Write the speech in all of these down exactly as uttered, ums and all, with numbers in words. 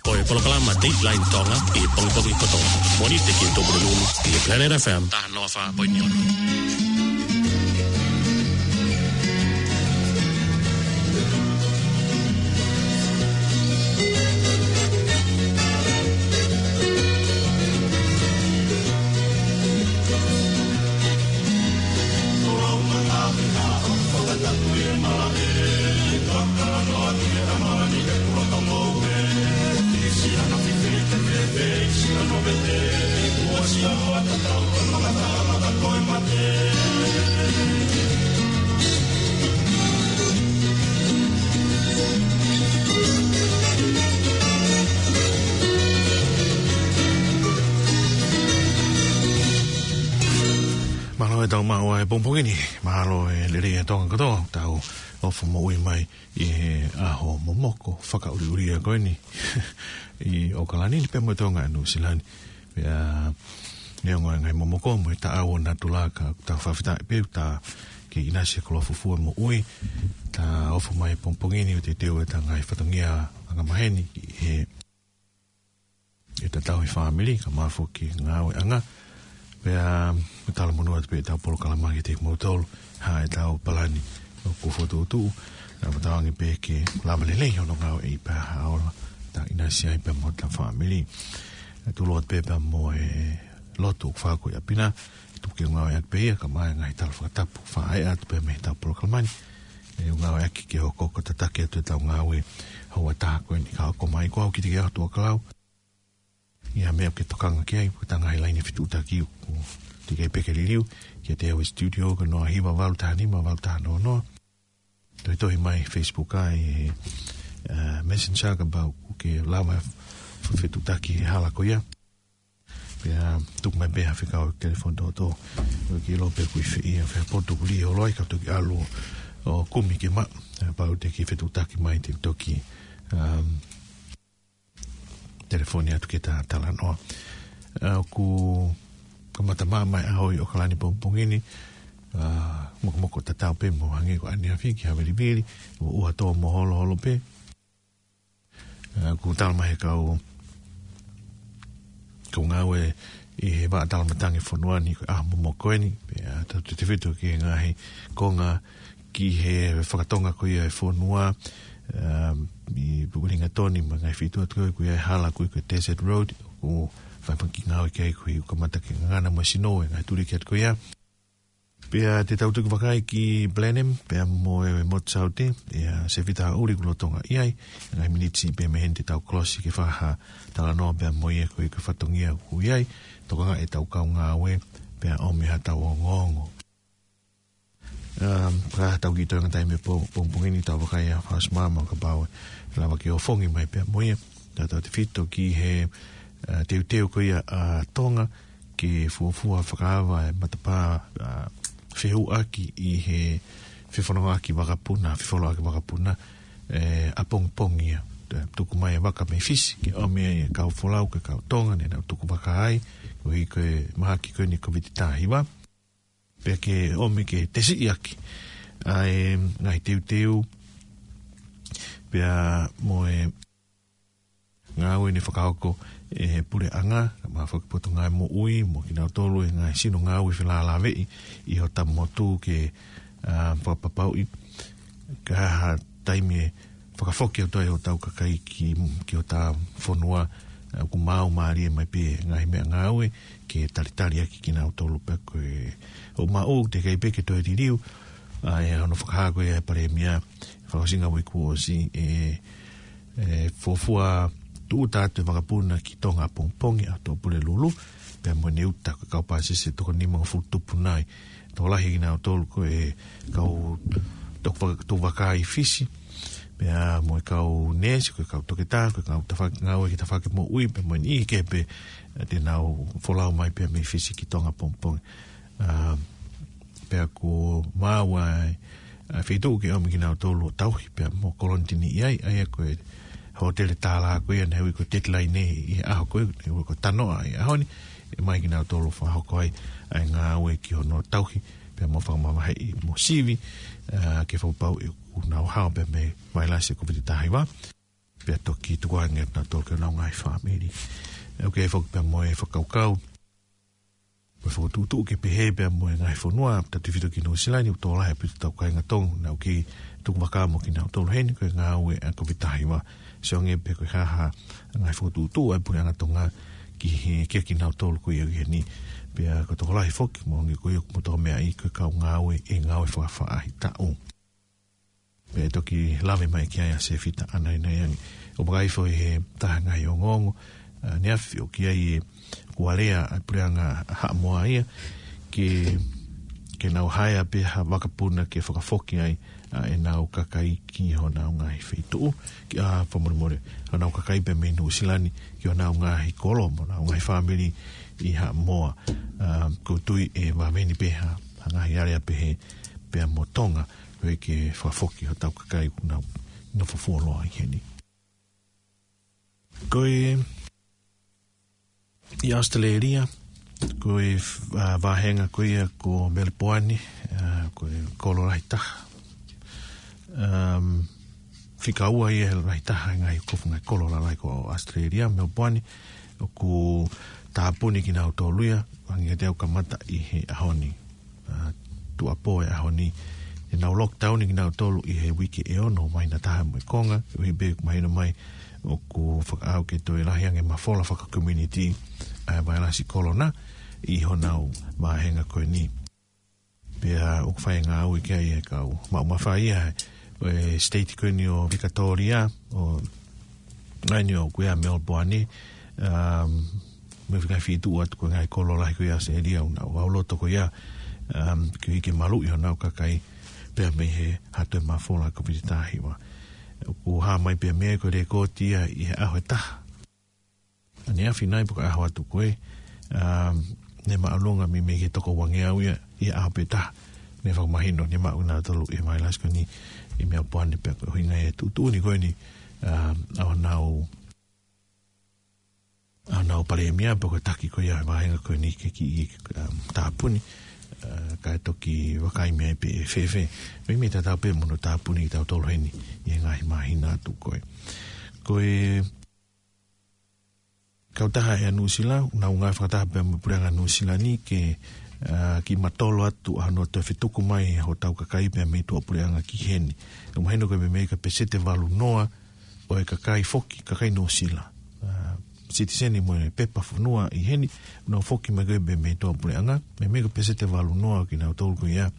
Ko e polokalama Dateline Tonga ʻi he pongipongi kotoa. Mōnite ki he Tupuna Lulu ʻi he Planet F M. Taha noa fā poini ono. Mālō e tau maʻu ʻa e pongipongi ni, mālō e lelei ʻa Tonga kotoa, tau ʻofa moʻui mai ʻi he ʻaho momoko fakaʻuliʻulia ko eni ʻi ʻAokalani ni pea mo Tonga ʻi Nuʻusila ni. Pea neongo e ngaahi momoko mo e taʻau ʻo natula ka tau fakafetaʻi pē ʻoku tau kei ʻinasi he koloa fuofua moʻui, tau ʻofa mai pongipongi ni ʻo teuteu ʻetau ngaahi fatongia angamaheni ʻi he ʻetau tauhi fāmili, kae ʻumaʻā foki ngāueʻanga. Pea ʻoku talamonū atu pē ʻetau polokalama kiate kimoutolu, hā ʻetau palani ʻoku fokotuʻutuʻu, naʻa mo tau ange pē ke lava lelei hono ngāueʻi pea ʻaola, tau ʻinasi ai pea mo hotau fāmili. ʻE tūʻulutui atu pē pea mo e lotu ʻoku fakahoko ʻi ʻapi na, tuku ke ngāueʻaki pē ia, kae ʻumaʻā e ngaahi tala fakatapu, fakaʻeʻa atu pē mei heʻetau polokalama ni. ʻE ngāueʻaki ke hoko ko e tataki atu ʻetau ngāue houa ʻe taha ko eni ka hoko mai ko au ki te ke atu ʻa kalau. ʻI ha meʻa ke tokanga ki ai, ko e ngaahi laine fetuʻutaki ʻoku teʻeki ai pē ke liliu, kiate au ʻi he studio ko e noa hiva valu taha nima valu taha noa noa. Tohitohi mai Facebook ʻi he, uh, Messenger kapau ʻoku ke lava f-, fetuʻutaki he hala ko ia. Pea tuku mai pē ha fekau telefoni tōtō. ʻOku ke ʻilo pē ʻoku ʻi fē ia, fē potu ʻoku lī holo ai ka toki ʻalu ʻo kumi ke maʻu. Kapau te ke fetuʻutaki mai te u toki, um, telefoni atu ke ta talanoa. ʻA, ʻoku kamata māmā e ʻaho ʻi ʻAokalani pongipongi ni, ʻa, mokomoko tatau pē mo hangē ko ʻaneafi ki Haʻavilivili, ʻo ʻuha tō mo holoholo pē. ʻA, ʻoku tala mai he kau, kau ngāue ʻi he vaʻa talamatangi fonua ni ko e ʻaho momoko eni, pea tautautefito ki he ngaahi konga ki he fakatonga ko ia e fonua, um, ʻi Pupulingatoni mo e ngaahi feituʻu atu ko ia ko e hala ko ia ko e Desert Road, ʻoku fai pē ki he ngāue ki ai ko ia ʻoku kamata ke ngangana mo e sino e ngaahi tuliki atu ko ia. Pea te tau toki vakai ki Blenheim, pea mo e motu saute, ʻa Sefita Haʻuli ʻoku lolotonga ʻi ai, ngaahi miniti pē mei heni te tau kolosi ke fai ha talanoa pea mo ia ko ia ko e fatongia ʻoku ʻi ai, tokanga ʻetau kau ngāue, pea ʻomi haʻatau ongoongo. Um, ka tau kiʻi toenga taimi pō, pongipongi ni tau vakai ʻa Fausmama kapau ʻe lava ke ʻofongi mai pea mo ia. Tautautefito ki he, uh, teuteu ko ia ʻa Tonga ke fuofua fakaava e matapā, uh, fehuʻaki ʻi he fefonongaʻaki vakapuna, fefolauʻaki vakapuna, ʻe, ʻapongipongi ia. Tuku mai e vaka mei Fisi, ke ʻomi e kau folau, ke kau Tonga, ne nau tuku vaka ai, koeʻuhi ko e mahaki ko eni Kōviti taha hiva. Pea ke ʻomi ke tesiʻi ʻaki ʻa e ngaahi teuteu, pea mo e ngāue ne fakahoko ʻe he puleʻanga, kae ʻumaʻā foki Potungāue Moʻui, mo kinautolu e ngaahi sino ngāue felālāveʻi ʻi hota motu ke, ʻa, fakapapauʻi ka ha taimi ʻe fakafoki atu ai hotau kakai ki, ki hota fonua, ʻa, ʻoku maau mālie mai pē ngaahi meʻangāue ke talitali ʻaki kinautolu pea ko e ʻoku maʻu teʻeki ai pē ke toe liliu, ʻa, ʻa hono fakahā ko ia ʻe he Palēmia, fakaʻosinga uike kuo ʻosi, ʻe, ʻe fuofua tūʻuta atu e vakapuna ki Tonga ʻapongipongi ʻa Tuʻapulelulu, pea mo e uta ko e kau pāsese toko nimangofulu tupu nai. Tokolahi kinautolu ko e kau tuku vaka, tuku vaka ʻi Fisi, pea mo e kau neesi, ko e kau toketā, ko e kau tafaʻaki ngāue ki he tafaʻaki moʻui, pea mo e niʻihi kehe pē, ʻa, te nau folau mai pea mei Fisi ki Tonga ʻapongipongi. ʻA, pea kuo maau ʻa e, ʻa, feituʻu ke ʻomi kinautolu ʻo tauhi pea mo kolonitini ʻi ai, ʻa ia ko e hōtele tālā ko ia naʻe ui ko e Deadline ʻi he ʻaho ko ē, naʻe ui ko Tanoa ʻi he ʻaho ni, ʻomai kinautolu fakahoko ai ʻa e ngāue ki hono tauhi pea mo fakamavaheʻi mo sivi, ʻa, ke fakapapauʻi ʻoku nau hao pea mei he vailasi Kōviti taha hiva. pea toki tukuange ʻa kinautolu ki honau ngaahi fāmili. ʻOku ʻi ai foki pea mo e fakakaukau, mo e fokotuʻutuʻu ke pehē pea mo e ngaahi fonua, tautefito ki Nuʻusila ni, ʻoku tokolahi ʻaupito ʻetau kāinga Tonga naʻa nau kei tuku vaka mo kinautolu heni, ko e ngāue ʻa e Kōviti taha hiva. Sio ange pe ko e hā ha ngaahi fokotuʻutuʻu ʻa e Puleʻanga Tonga ki he, kia kinautolu ko ia ʻi heni. Pea ʻoku tokolahi foki, mo ngi ko ia ʻoku moutolu meaʻi ko e kau ngāue ʻi he ngāue fakafaʻahitaʻu. Pea toki lave mai ki ai ʻa Sefita ʻAnainaiangi. ʻOku vakai foki he taha ngaahi ongoongo, ʻa, ʻaneafi ʻoku ʻi ai e kualea ʻa e Puleʻanga Haʻamoa ia, ke, ke nau haea pē ha vakapuna ke fakafoki ai ʻa ʻenau kakai ki honau ngaahi feituʻu, ki, ʻa, fakamolemole, honau kakai pea mei Nuʻusila ni ki honau ngaahi kolo mo honau ngaahi fāmili ʻi Haʻamoa. ʻA, ʻoku ou tui ʻe vave ni pē ha, ha ngaahi alea pehē pea mo Tonga, ko e ke fakafoki hotau kakai ʻoku nau nofo fuoloa ʻi heni. Ko e ʻi ʻAositelēlia, ko e, ʻa, vāhenga ko ia ko Melepoane, ʻa, ko e kolo lahi taha. Um, fika ua ia he lahi taha ʻi he ngaahi kofu ngaahi kolo lalahi ko ʻAositelēlia, Melepoane, ʻoku tāpuni kinautolu ia, hangē kiate au kamata ʻi he ʻaho ni. ʻA, tuʻuapō e ʻaho ni. ʻE nau lockdown kinautolu ʻi he uike ʻe ono, māhina taha mo e konga, ʻuhi pē mahino mai ʻoku fakaʻau ke toe lahi ange mafola faka-community ʻa e vailasi kolona ʻi honau vāhenga ko eni. Pea ʻoku fai ngāue ki ai e kau maʻu mafai ʻa e state ko eni ʻo Vikatōlia, ʻo ʻa eni ʻoku ʻi ai Melepoane, um, mo e ngaahi feituʻu atu ko e ngaahi kolo lahi ko ia ʻAositelēlia ʻoku nau ʻauloto ko ia, um, ke ʻi ai ke maluʻi honau kakai pea mei he ha toe mafola Kōviti taha hiva. ʻOku hā mai pea mei ai ko e lēkooti ia ʻi he ʻaho ʻe taha ʻaneafi nai pe ko e ʻaho atu ko ē, um, ne māʻolunga mei, mei he toko uangeau ia ʻi he ʻaho pē taha. Ne fakamahino, ne maʻu ʻe nautolu e vailasi ko eni ʻi Melepoane pea ko e ʻuhinga ia e tuʻutuʻuni ko eni, um, ʻa honau, ʻa honau palēmia pe ko e taki ko ia e vāhenga ko eni ke kiʻi, um, tāpuni, ʻa, kae toki vakai mei ai pē ʻe fēfē. Meimei tatau pē mo hono tāpuni kitautolu heni ʻi he ngaahi māhina atu ko ē. Ko e Kautaha ʻEa Nuʻusila, ʻoku nau ngāue fakataha pea mo e Puleʻanga Nuʻusila ni ke, ʻa, kiʻi matolo atu ʻa hono toe fetuku mai hotau kakai pea mei tuʻapuleʻanga ki heni. ʻOku mahino ko e meimei ko e peseti ʻe valu noa ʻo e kakai foki, kakai Nuʻusila, ʻa, sitiseni mo e pepa fonua ʻi heni, ʻoku nau foki mai ko ē pea mei tuʻapuleʻanga, meimei ko e peseti ʻe valu noa ʻo kinautolu ko ia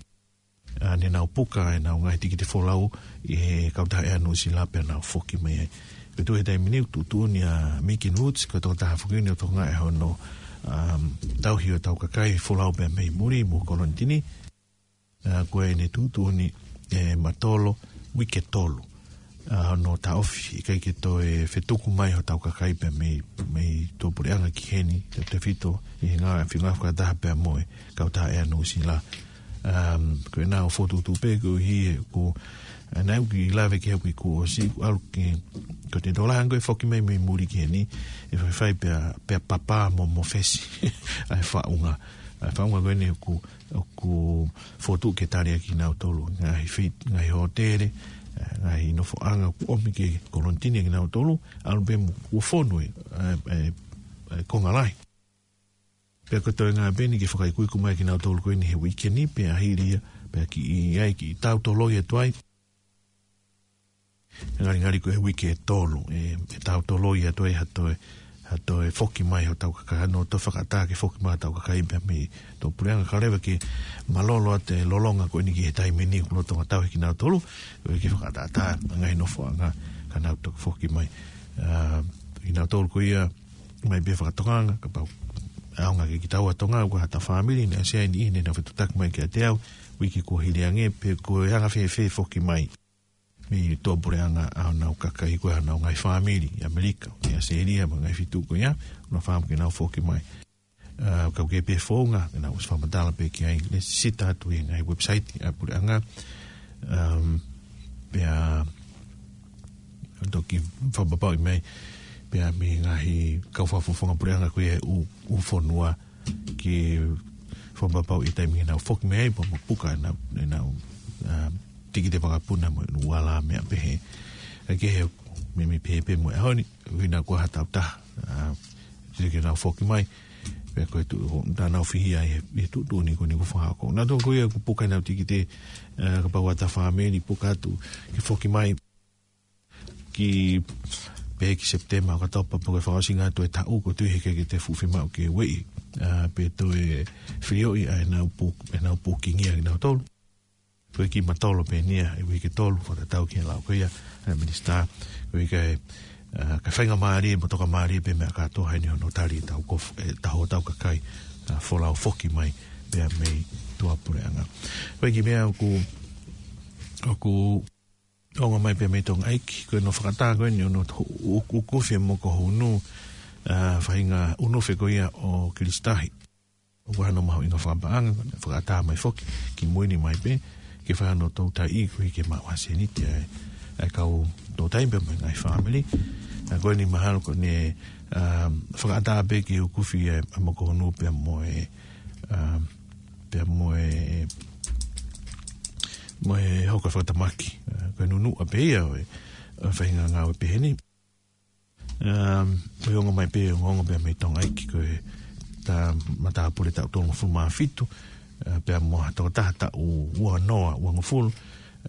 ʻa, ne nau puka ʻenau ngaahi tikite folau ʻi he Kautaha ʻEa Nuʻusila pea nau foki mai ai. Ko e tuʻu he taimi ni ʻoku tuʻutuʻuni ʻa Megan Roots, ko e tokotaha foki eni ʻoku tokangaʻi hono, um, tauhi hotau kakai folau pea mei muli mo kolonitini. ʻA, ko ʻene tuʻutuʻuni ʻe matolo uike ʻe tolu ʻa hono taʻofi, ʻikai ke toe fetuku mai hotau kakai pea mei, mei tuʻapuleʻanga ki heni, tautefito ʻi he ngāue, feinga fakataha pea mo e Kautaha ʻEa Nuʻusila. Um, ko ʻenau fokotuʻutuʻu pē koeʻuhi ʻoku, ʻa, naʻe ʻi ai e kiʻi lave ki ai ʻoku ʻikai ke ʻosi, ʻoku ʻalu ke, ko e tokolahi ange ko e foki mai mei muli ki heni, ʻe faifai pea, pea papa mo, mo fesi ʻa e faʻunga. ʻA e faʻunga ko eni ʻoku ʻoku fokotuʻu ke tali ʻaki kinautolu, ngaahi fei-, ngaahi hōtele, ʻa, ngaahi nofoʻanga ʻoku ʻomi ke kolonitini ʻaki kinautolu, ʻalu pē mo ʻoku fonu e, ʻa, ʻa, ʻa e konga lahi. Pea ko e toenga pē eni ke fakaikuiku mai kinautolu ko eni he uike ni, pea hili ia, pea kiʻi ʻai, kiʻi tautoloi atu ai. Ngalingali ko e uike ʻe tolu, ʻe, ʻe tautoloi atu ai ha toe, ha toe foki mai hotau kakai, ʻa hono toe fakaʻatā ke foki mai hotau kakai pea mei tuʻapuleʻanga, kae ʻoua leva ke mālōlō atu e lolonga ko eni ki he taimi ni ʻoku lolotonga tauhi kinautolu, ʻoku ʻikai ke fakaʻataʻatā e ngaahi nofoʻanga ka nau toki foki mai. ʻA, kinautolu ko ia, mai pē fakatokanga, kapau ʻe ʻaonga kiate kitaua Tonga, ʻoku ʻi ai haʻata fāmili naʻe ʻasi ai ni, ne nau fetuʻutaki mai kiate au, uike kuo hili ange, pe ko e anga fēfē foki mai mei tuʻapuleʻanga ʻa honau kakai, ko honau ngaahi fāmili ʻi ʻAmelika, ʻi ʻAositelēlia, mo e ngaahi feituʻu ko ia, ʻoku nau fakaʻamu ke nau foki mai. ʻA, kapau ʻoku ʻi ai pē founga, ke nau ʻosi fakamatala pē ki ai, lēsisita atu ʻi he ngaahi website ʻa e puleʻanga. Um, pea toki fakapapauʻi mai, pea mei he ngaahi kau fakafofonga puleʻanga ko ia ʻū, ʻū fonua, ke fakapapauʻi e taimi ke nau foki mai ai, pea mo puka ʻenau, ʻenau, um, tikite vakapuna mo e ʻū ala meʻa pehē. ʻA ia ko e Meimei pehē pē mo e ʻaho ni, ʻuhinga ko ha tau taha. ʻA, te ke nau foki mai. Pea ko e tuʻu, tā nau fihia ʻi he, ʻi he tuʻutuʻuni ko eni kuo fakahoko. Naʻa tau ko ia kuo puka ʻenau tikite, ʻa, kapau ʻa e fāmili puka atu ke foki mai ki, pē ki Sepitema ʻo ka tau papa ko e fakaʻosinga atu e taʻu ko e tui he ke te fuʻu fiemaʻu ke ueʻi. ʻA, pea toe filioʻi ʻa ʻenau pū-, ʻenau pūkingia kinautolu. Ko e kiʻi matolo pē eni ia, ʻe uike tolu, fakatatau ki he lau ko ia ʻa e minisitā, ko e ʻikai, ʻa, ka faingamālie, mo tokamālie pē meʻa kātoa heni hono tali ʻetau kofu-, ʻetau hotau kakai, ʻa, folau foki mai, pea mei tuʻapuleʻanga. Ko e kiʻi meʻa ʻoku, ʻoku ongo mai pē mei Tonga ʻEiki, ko hono fakatā ko eni hono to-, ʻuku-, ʻuku fie mo ko hunu, ʻa, faʻahinga ʻunufe ko ia ʻo Kilisitahi. ʻOku ʻi ai hano mahuʻinga fakapaʻanga, fakatā mai foki, ki mui ni mai pē, ke fai hano toutai ko ē ke maʻu ha sēniti ʻa e, ʻa e kau toutai pea mo e ngaahi fāmili. ʻA, ko eni mahalo ko eni, ʻa, fakatā pē ke ʻuku fie ʻa e mo ko hunu pea mo e, ʻa, pea mo e, mo e hoko fakatamaki. ʻA, ko e nunuʻa pē ia ʻo e, ʻo e faʻahinga ngāue pehē ni. Um, ko e ongo mai pē, ongo, ongo pē mei Tonga ʻEiki ko e tā matāpule taʻu tolungofulu mā fitu, ʻa, pea mo ha tokotaha taʻu uanoa, uangofulu,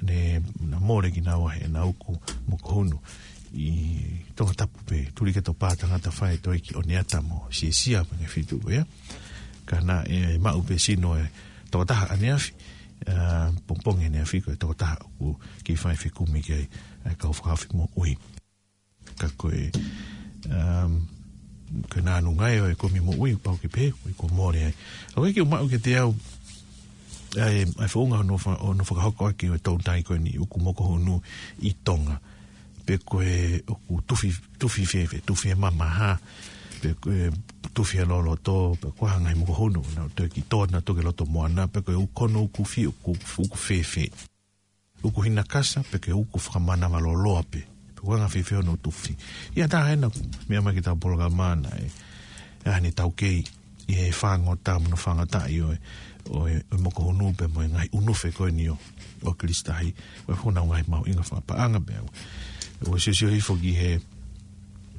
ne na mole kinaua he na ʻuku mo ko hunu ʻi Tongatapu pē, tuli ke tō pā tangata fai toe ki ʻOneata mo Siesia mo e ngaahi feituʻu ia. Ka naʻe maʻu pē sino e tokotaha ʻaneafi, ʻa, pongipongi ʻaneafi ko e tokotaha ʻoku kei fai fekumi ki ai, ʻa e kau fakahaofi moʻui. Ka ko e, um, ko e nānunga ia ʻo e kumi moʻui, pau ke pehē, ko e kuo mole ai. ʻA, ko e kiʻi maʻu kiate au, ʻa e, ʻa e founga hono fa-, hono fakahoko ʻaki ʻo e toutai ko eni ʻuku mo ko hunu ʻi Tonga. Pe ko e ʻoku tufi, tufi fēfē, tufi e mamaha, pe ko e tufi e loloto, pe ko e hā e ngaahi mo ko hunu, nau toe ki tō, nau toe ki loto moana, pe ko e ʻuku hono ʻuku fie, ʻuku, ʻuku fēfē. ʻUku hinakasa, pe ko e ʻuku fakamanava loloa pē. Pe ko e anga fēfē hono tufi. ʻI ai ha taha ena, meʻa mai ki heʻetau polokalama naʻe, ʻa, ne taukei ʻi he fāngota mo hono fāngota ʻi ʻo e, ʻo e, ʻo e mo ko hunu pea mo e ngaahi ʻunufe ko eni ʻo, ʻo Kilisitahi. ʻO e fonau ngaahi mahuʻinga fakapaʻanga pea. ʻO siosio hifo ki he,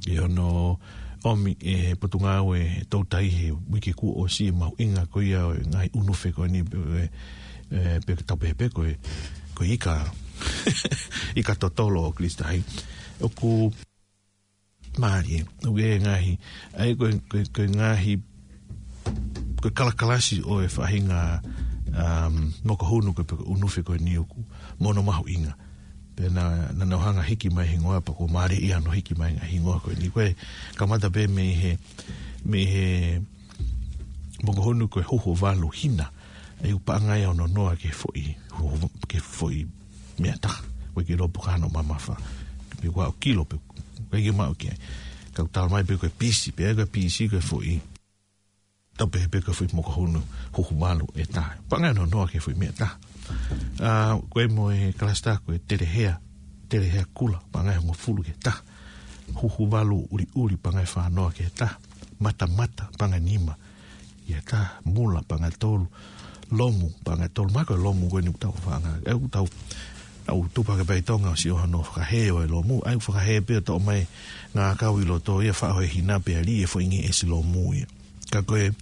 ʻi hono ʻomi ʻe he Potungāue he toutai he uike kuo ʻosi e mahuʻinga ko ia ʻo e ngaahi ʻunufe ko eni pe, ʻe, ʻe, pe tau pehē pē ko e, ko e ika, ika totolo ʻo Kilisitahi. ʻOku mālie, ʻoku ʻi ai e ngaahi, ʻa ia ko e, ko e, ko e ngaahi, ko e kalakalasi ʻo e faʻahinga, um, mo ko hunu ko e pe ko e ʻunufe ko eni ʻoku, mo hono mahuʻinga. Pea naʻa, naʻa nau hanga hiki mai hingoa pea kuo mālie ia hono hiki mai ngaahi hingoa ko eni. Ko e kamata pē mei he, mei he mo ko hunu ko e huhu valu hina. ʻA ia ʻoku paʻanga ia hono noa ki he foʻi, huhu, ki he foʻi meʻa taha. Ko e kilo pe ko hono mamafa. Pe ko e kilo pe, ko e kiʻi maʻu ki ai. Ka ʻoku tala mai pē ko e pisi, pea ko e pisi ko e foʻi. Tau pehē pē ko e foʻi mo ko hunu, huhu valu ʻe taha. Paʻanga ia hono noa ki he foʻi meʻa taha. ʻA, ko e mo e kalasitā ko e telehea, telehea kula, paʻanga ia hongofulu ki he taha. Huhu valu ʻuliʻuli, paʻanga ia fānoa ki he taha. Matamata, paʻanga ia nima ki he taha. Mula, paʻanga ia tolu. Lomu, paʻanga ia tolu. Mahalo ko e lomu ko eni ʻoku tau faʻanga. ʻE ʻoku tau, ʻoku tupu hake pē ʻi Tonga ʻo sio hono fakahē ʻo e lomu. ʻA ia ʻoku fakahē pē ʻo toʻo mai ngākau ʻi loto ia faʻo he hina pea lī e foʻi ngeʻesi lomu ia. Ka ko e,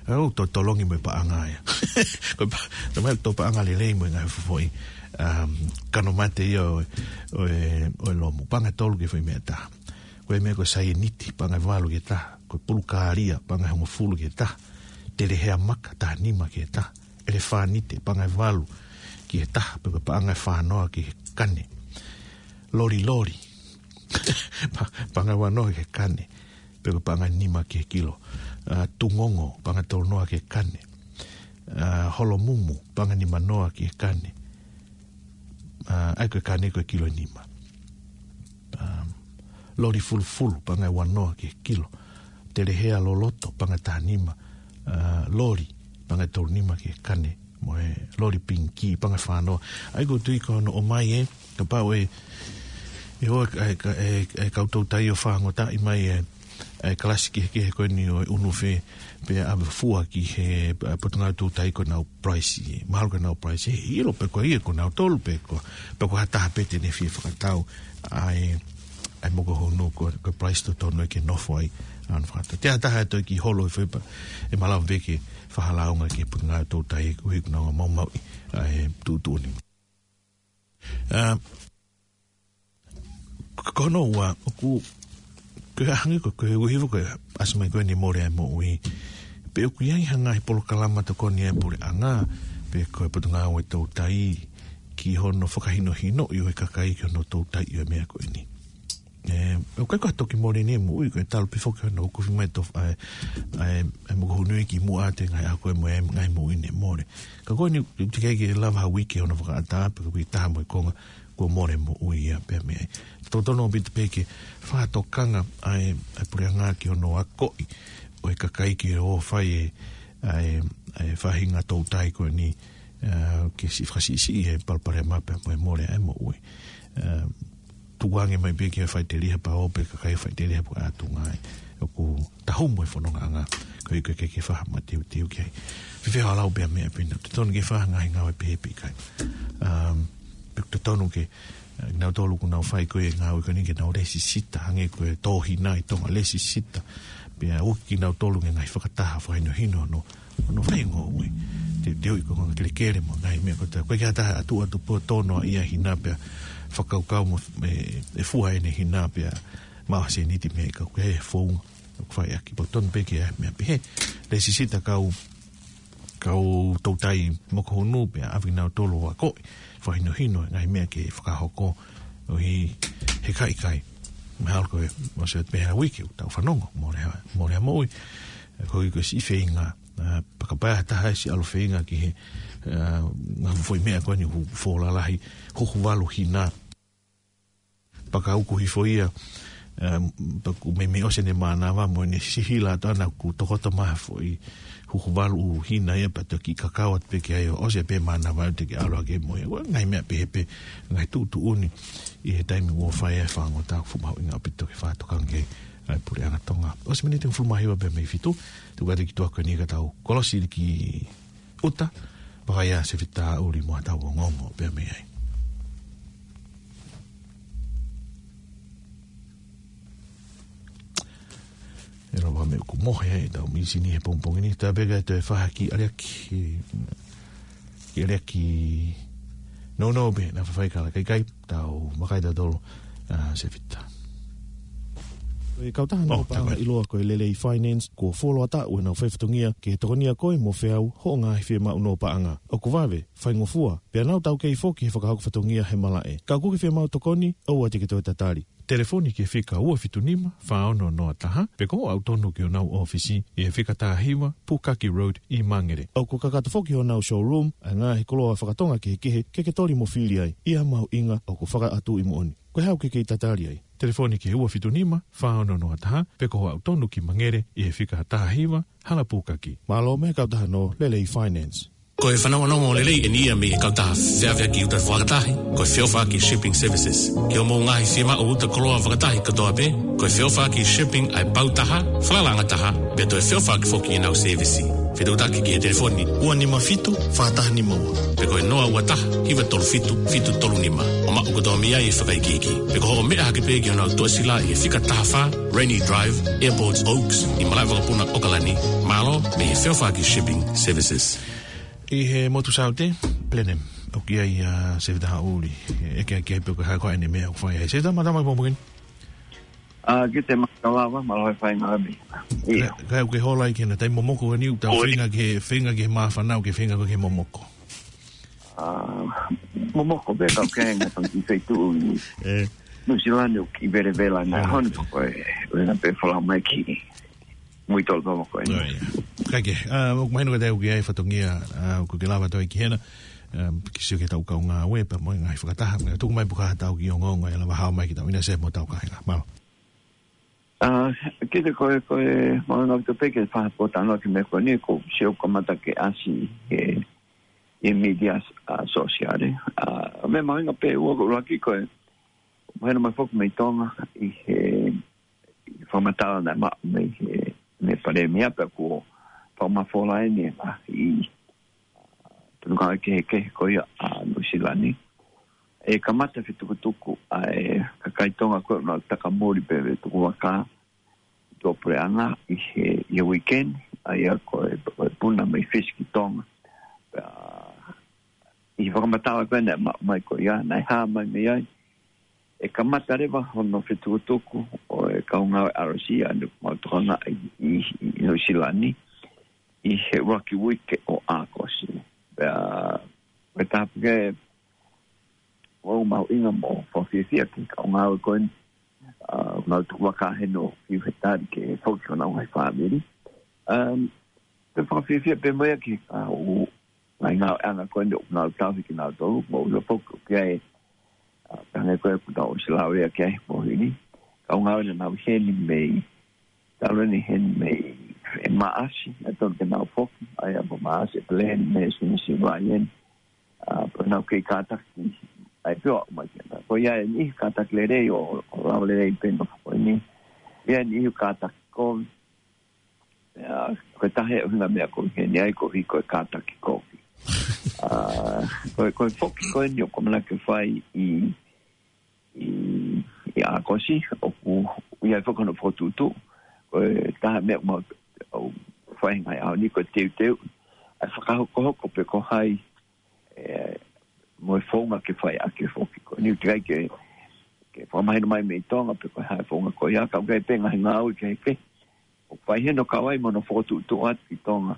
ʻa ia ʻoku totolongi mo e paʻanga ia. Ko e pa-, tau mai tō paʻanga lelei mo e ngaahi foʻi, um, kano mate ia ʻo, ʻo e, ʻo e lomu. Paʻanga ia tolu ki he foʻi meʻa taha. Ko e meʻa ko e saieniti, paʻanga ia valu ki he taha. Ko e pulukālia, paʻanga ia hongofulu ki he taha. Telehea maka, taha nima ki he taha. ʻElefānite, paʻanga ia valu ki he taha, pe ko e paʻanga ia fānoa ki he kane. Loliloli, pa-, paʻanga ia uanoa ki he kane, pe ko e paʻanga ia nima ki he kilo. ʻA, tungongo, paʻanga ia tolunoa ki he kane. ʻA, holomumu, paʻanga ia nimanoa ki he kane. ʻA, ʻa ia ko e kane ko e kilo ʻe nima. ʻA, loli fulufulu, paʻanga ia uanoa ki he kilo. Telehea loloto, paʻanga ia taha nima. ʻA, loli, paʻanga ia tolu nima ki he kane. Mo e loli pingikī, paʻanga ia fānoa. ʻA ia ʻoku ou tui ko hono ʻomai ē, kapau ʻe, ʻe ʻoua, ʻe, ʻe, ʻe, ʻe kau toutai ʻo fāngotaʻi mai e, ʻa e kalasi kehekehe ko eni ʻo e ʻunufe, pea ʻave fua ki he, ʻa, Potungāue Toutai ko ʻenau price. Mahalo ko ʻenau price, ʻe ʻilo pē ko ia ko nautolu pē ko, pē ko ha taha pē te ne fie fakatau ʻa e, ʻa e mokohunu ko, ko e price totonu ʻe ke nofo ai, ʻa hono fakatau. Te ha taha ʻe toe kiʻi holo ʻi he foʻi pā, ʻe malava pē ke fakahalaunga ki he Potungāue Toutai ʻoku ʻikai ke nau maumauʻi ʻa e tuʻutuʻuni. ʻA, ko hono ua, ʻoku, ko e hangē ko, ko e uhi ko e ʻasi mai ko eni Mole ʻa e Moʻui. Pe ʻoku ʻi ai ha ngaahi polokalama tokoni ʻa e puleʻanga, pe ko e Potungāue Toutai, ki hono fakahinohinoʻi ʻo e kakai ki hono toutai ʻo e meʻa ko eni. ʻE, ʻoku ʻikai ko ha toki mole ni ʻa e moʻui, ko e talu pē foki hono ʻoku fiemaʻu ʻa e, ʻa e, ʻa e mokohunu ki muʻa atu ʻi he ngaahi ʻaho ko ē mo e ngaahi moʻui ne mole. Ka ko eni, ʻoku teʻeki ke lava ha uike hono fakaʻatā, pe ko e uike ʻe taha mo e konga, kuo mole moʻui ia pea mei ai. Totonu ʻaupito pē ke fakatokanga ʻa e, ʻa e puleʻanga ki hono akoʻi ʻo e kakai ke ō ʻo fai e, ʻa e, ʻa e faʻahinga toutai ko eni, ʻa, ke siʻi fakasiʻisiʻi e palopalema pea mo e mole ʻa e moʻui. ʻA, tukuange mai pē ke faʻiteliha pea ō pē kakai faʻiteliha pea ʻalu atu ai. ʻOku tahumu e fonongaʻanga, ko e ʻikai ke, ke faʻa mateuteu ki ai. Fēfē haʻo lau pē ʻa e meʻa pehē ni, totonu ke fai ha ngaahi ngāue pehē pe ʻikai. Um, pe totonu ke, ʻa, nautolu ʻoku nau fai ko ē ngāue ko eni ke nau lēsisita, hangē ko e tō hina ʻi Tonga, lēsisita. Pea ʻoku ʻi ai kinautolu e ngaahi fakataha fakahinohino ʻo hono, hono fai e ngoue. Te, te ui ko e ngaahi kelekele mo e ngaahi meʻa ko ē, ko e kiʻi taha ʻatu ʻatu pē ʻo tō noaʻia e hina pea fakakaukau mo e, e fua ʻene hina pea maʻu ha sēniti mei ai, ka ʻoku ʻikai ha founga ʻoku fai ʻaki. Pea totonu pē ke ʻi ai e meʻa pehē. Lēsisita kau, kau toutai mokohunu pea ʻave kinautolu ʻo akoʻi, fakahinohino e ngaahi meʻa ke fakahoko, ʻoku ʻikai ke ʻikai. Mahalo ko e, ʻosi atu pē ha uike ʻoku tau fanongo, Mole ʻa, Mole ʻa e Moʻui. Ko e, ko e siʻi feinga, ʻa, pea kapau ʻe ʻi ai ha taha ʻe siʻi ʻalu ʻo feinga ki he, ʻa, ngaahi foʻi meʻa ko eni ʻoku fuʻu lalahi, huhu valu hina. Pea ka uku hifo ia, ʻa, pea ʻoku meimei ʻosi ʻene mānava mo ʻene sihila atu ʻana ʻoku tokoto mai ha foʻi huhu valu hina ia pea toki kakau atu pē ki ai ʻo ʻosi pē mānava ʻo teʻeki ke ʻalu hake mo ia. Ko e ngaahi meʻa pehē pē, ngaahi tuʻutuʻuni ʻi he taimi ʻoku fai ai e fāngotaʻa ʻoku fuʻu mahuʻinga ʻaupito ke fakatokanga ki ai ʻa e puleʻanga Tonga. ʻOsi miniti ʻe hongofulu mā hiva pē mei fitu, tuku atu e kituʻa ko eni ka tau kolosi ki ʻuta, pea ʻai ʻa Sefita ʻuli mo haʻatau ongoongo pē mei ai. ʻE lava meʻa ʻoku mohe ai ʻetau mīsini he pongipongi ni, tā pē ka ʻe toe fai ha kiʻi ʻaliʻaki, kiʻi ʻaliʻaki nounou pē, naʻa faifai kala kaikai, tau vakai tautolu, ʻa, Sefita. Ko e kautaha ʻo, nō paʻanga ʻiloa ko e Lelei Finance, kuo fuoloa taʻu ʻenau fai fatongia ke tokonia koe mo feau hoʻo ngaahi fiemaʻu nō paʻanga. ʻOku vave, faingofua, pea nau taukei foki he fakahoko fatongia he malaʻe. Ka ʻoku ke fiemaʻu tokoni, ʻoua te ke toe tatali. Telefoni ki he fika ua fitu nima, fā ono noa taha, pe ko hoʻo aʻu tonu ki honau ʻōfisi ʻi he fika taha hiva, Pukaki Road ʻi Mangere. ʻOku kakato foki honau showroom ʻa e ngaahi koloa fakatonga kehekehe ke ke toli mo fili ai, ʻi ha mahuʻinga ʻoku fakaʻatu ʻi moʻoni. Ko e hā ʻoku ke kei tatali ai? Telefoni ki he ua fitu nima, fā ono noa taha, pe ko hoʻo aʻu tonu ki Mangere ʻi he fika taha hiva, Hala Pukaki. Mālō mei he kautaha nō Lelei Finance. Ko e fanongonongo lelei eni ia mei he kautaha feʻaveʻaki ʻuta fakataha, ko e Feʻofaʻaki Shipping Services. Ki hoʻomou ngaahi fiemaʻu ʻuta koloa fakataha kotoa pē, ko e Feʻofaʻaki Shipping ʻa e pau taha, falalaʻanga taha, pea toe feʻofaʻaki foki ʻenau sēvisi. Fetuʻutaki ki he telefoni ua nima fitu, fā taha nima ua, pe ko e noa ua taha, hiva tolu fitu, fitu tolu nima, ʻo maʻu kotoa mei ai e fakaikiiki. Pe ko hoʻo meʻa hake pē ki honau tuʻasila ʻi he fika taha fā, Rainy Drive, Airport Oaks, ʻi malaʻe vakapuna ʻOkalani. Mālō mei he Feʻofaʻaki Shipping Services. ʻI he motu Saute, Blenheim, ʻoku ʻi ai ʻa Sefita Haʻuli, ʻe ʻeke ʻaki ai pe ko e hā koā ʻene meʻa ʻoku fai ai. Sefita, mālō e pongipongi ni. ʻA, kiate koe Lava, mālō e faingamālie. ʻIo. Ka, ka ʻoku ke hola ai ki heʻena taimi momoko ni, ʻoku tau ʻOi. feinga ke, feinga ke māfana, ʻoku ke feinga koe ke momoko. ʻA, momoko pē ka ʻoku ke ngatau ki he feituʻu ʻi ʻĒ. Nuʻusila ni ʻoku kiʻi velevela na, ʻĒ. Honi pē ko e, ʻuhinga pē folau mai ki mui tolu pea mo ko ē. ʻOi. Kae kehe, ʻa, ʻoku mahino ka te u ki ai fatongia, ʻa, ʻoku ke lava atu ai ki hena, ʻa, ke sio ki heʻetau kau ngāue pea mo e ngaahi fakataha, mo e tuku mai pe ko e hā haʻatau kiʻi ongoongo ʻe lava hao mai ki tau ʻinasi mo tau kāinga. Mālō. ʻA, kiate koe, ko e mahuʻinga ʻaupito pē ke fakapōtalanoa ki he meʻa ko eni, ko e sio kamata ke ʻasi he, he mītia, ʻa, sōsiale. ʻA, meʻa mahuʻinga pē ua ko e ʻuluaki ko e, mahino mai foki mei Tonga ʻi he, ʻi he fakamatala naʻe maʻu mei he, mei he Palēmia pea kuo fakamafola eni ʻe he ngaahi ʻi, ā, tunu kau kehekehe ko ia ʻa Nuʻusila ni. ʻE kamata fetukutuku ʻa e kakai Tonga ko ē ʻoku nau takamuli pē ʻi he tukuvakā ʻi tuʻapuleʻanga ʻi he, ʻi he weekend, ʻa ia ko e, ko e puna mei Fisi ki Tonga. Pea, ʻi he fakamatala ko ē naʻe maʻu mai ko ia, naʻe hā mai mei ai, ʻe kamata leva hono fetukutuku ʻo e kau ngāue R C ʻa eni ʻoku mau tokangaʻi ʻi, ʻi, ʻi Nuʻusila ni, ʻi he ʻuluaki uike ʻo ʻAokosi. Pea, ko e taha pē ke ʻoku mahuʻinga mo fakafiefia ki he kau ngāue ko eni, ā, ʻoku nau tukuvakā heni ʻo fiu he tali ke foki ki honau ngaahi fāmili. Um, pea fakafiefia pē mo ia ki he kau ngaahi ngāueʻanga ko eni ʻoku nau tauhi kinautolu, mo ʻilo foki ʻoku ʻi ai, ā, pea hangē ko ē ʻoku tau ʻosi lau ia ki ai he pō ni. Kau ngāue naʻa nau ʻi heni mei, talu eni heni mei, ʻe Maʻasi, naʻe totonu ke nau foki, ʻa ia ko Maʻasi, ʻEpeleli, Mē, Sūnisi, Vaieni, ā, pea nau kei kātaki, ʻa e pio mai ke na. Ko ia eni kātaki lelei ʻo, ʻo lava lelei pē nofo ko eni. Ia eni kātaki kovi. Ā, ko e taha e ʻuhinga meʻa ko ē ʻi heni ai ko e hiko e kātaki kovi. Ā, ko e, ko e foki ko eni ʻoku ʻamanaki ke fai ʻi, ʻi, ʻi ʻAokosi, ʻoku ʻi ai foki hono fokotuʻutuʻu. Ko e taha meʻa ʻoku mau fai he ngaahi ʻaho ni ko e teuteu ʻa e fakahokohoko pe ko hai, ē, mo e founga ke fai ʻaki e foki ko eni. ʻOku ʻikai ke, ke fakamahino mai mei Tonga pe ko e hā e founga ko ia, ka ʻoku ʻi ai pē ngaahi ngāue kehekehe ʻoku fai heni ʻo kau ai mo hono fokotuʻutuʻu atu ki Tonga.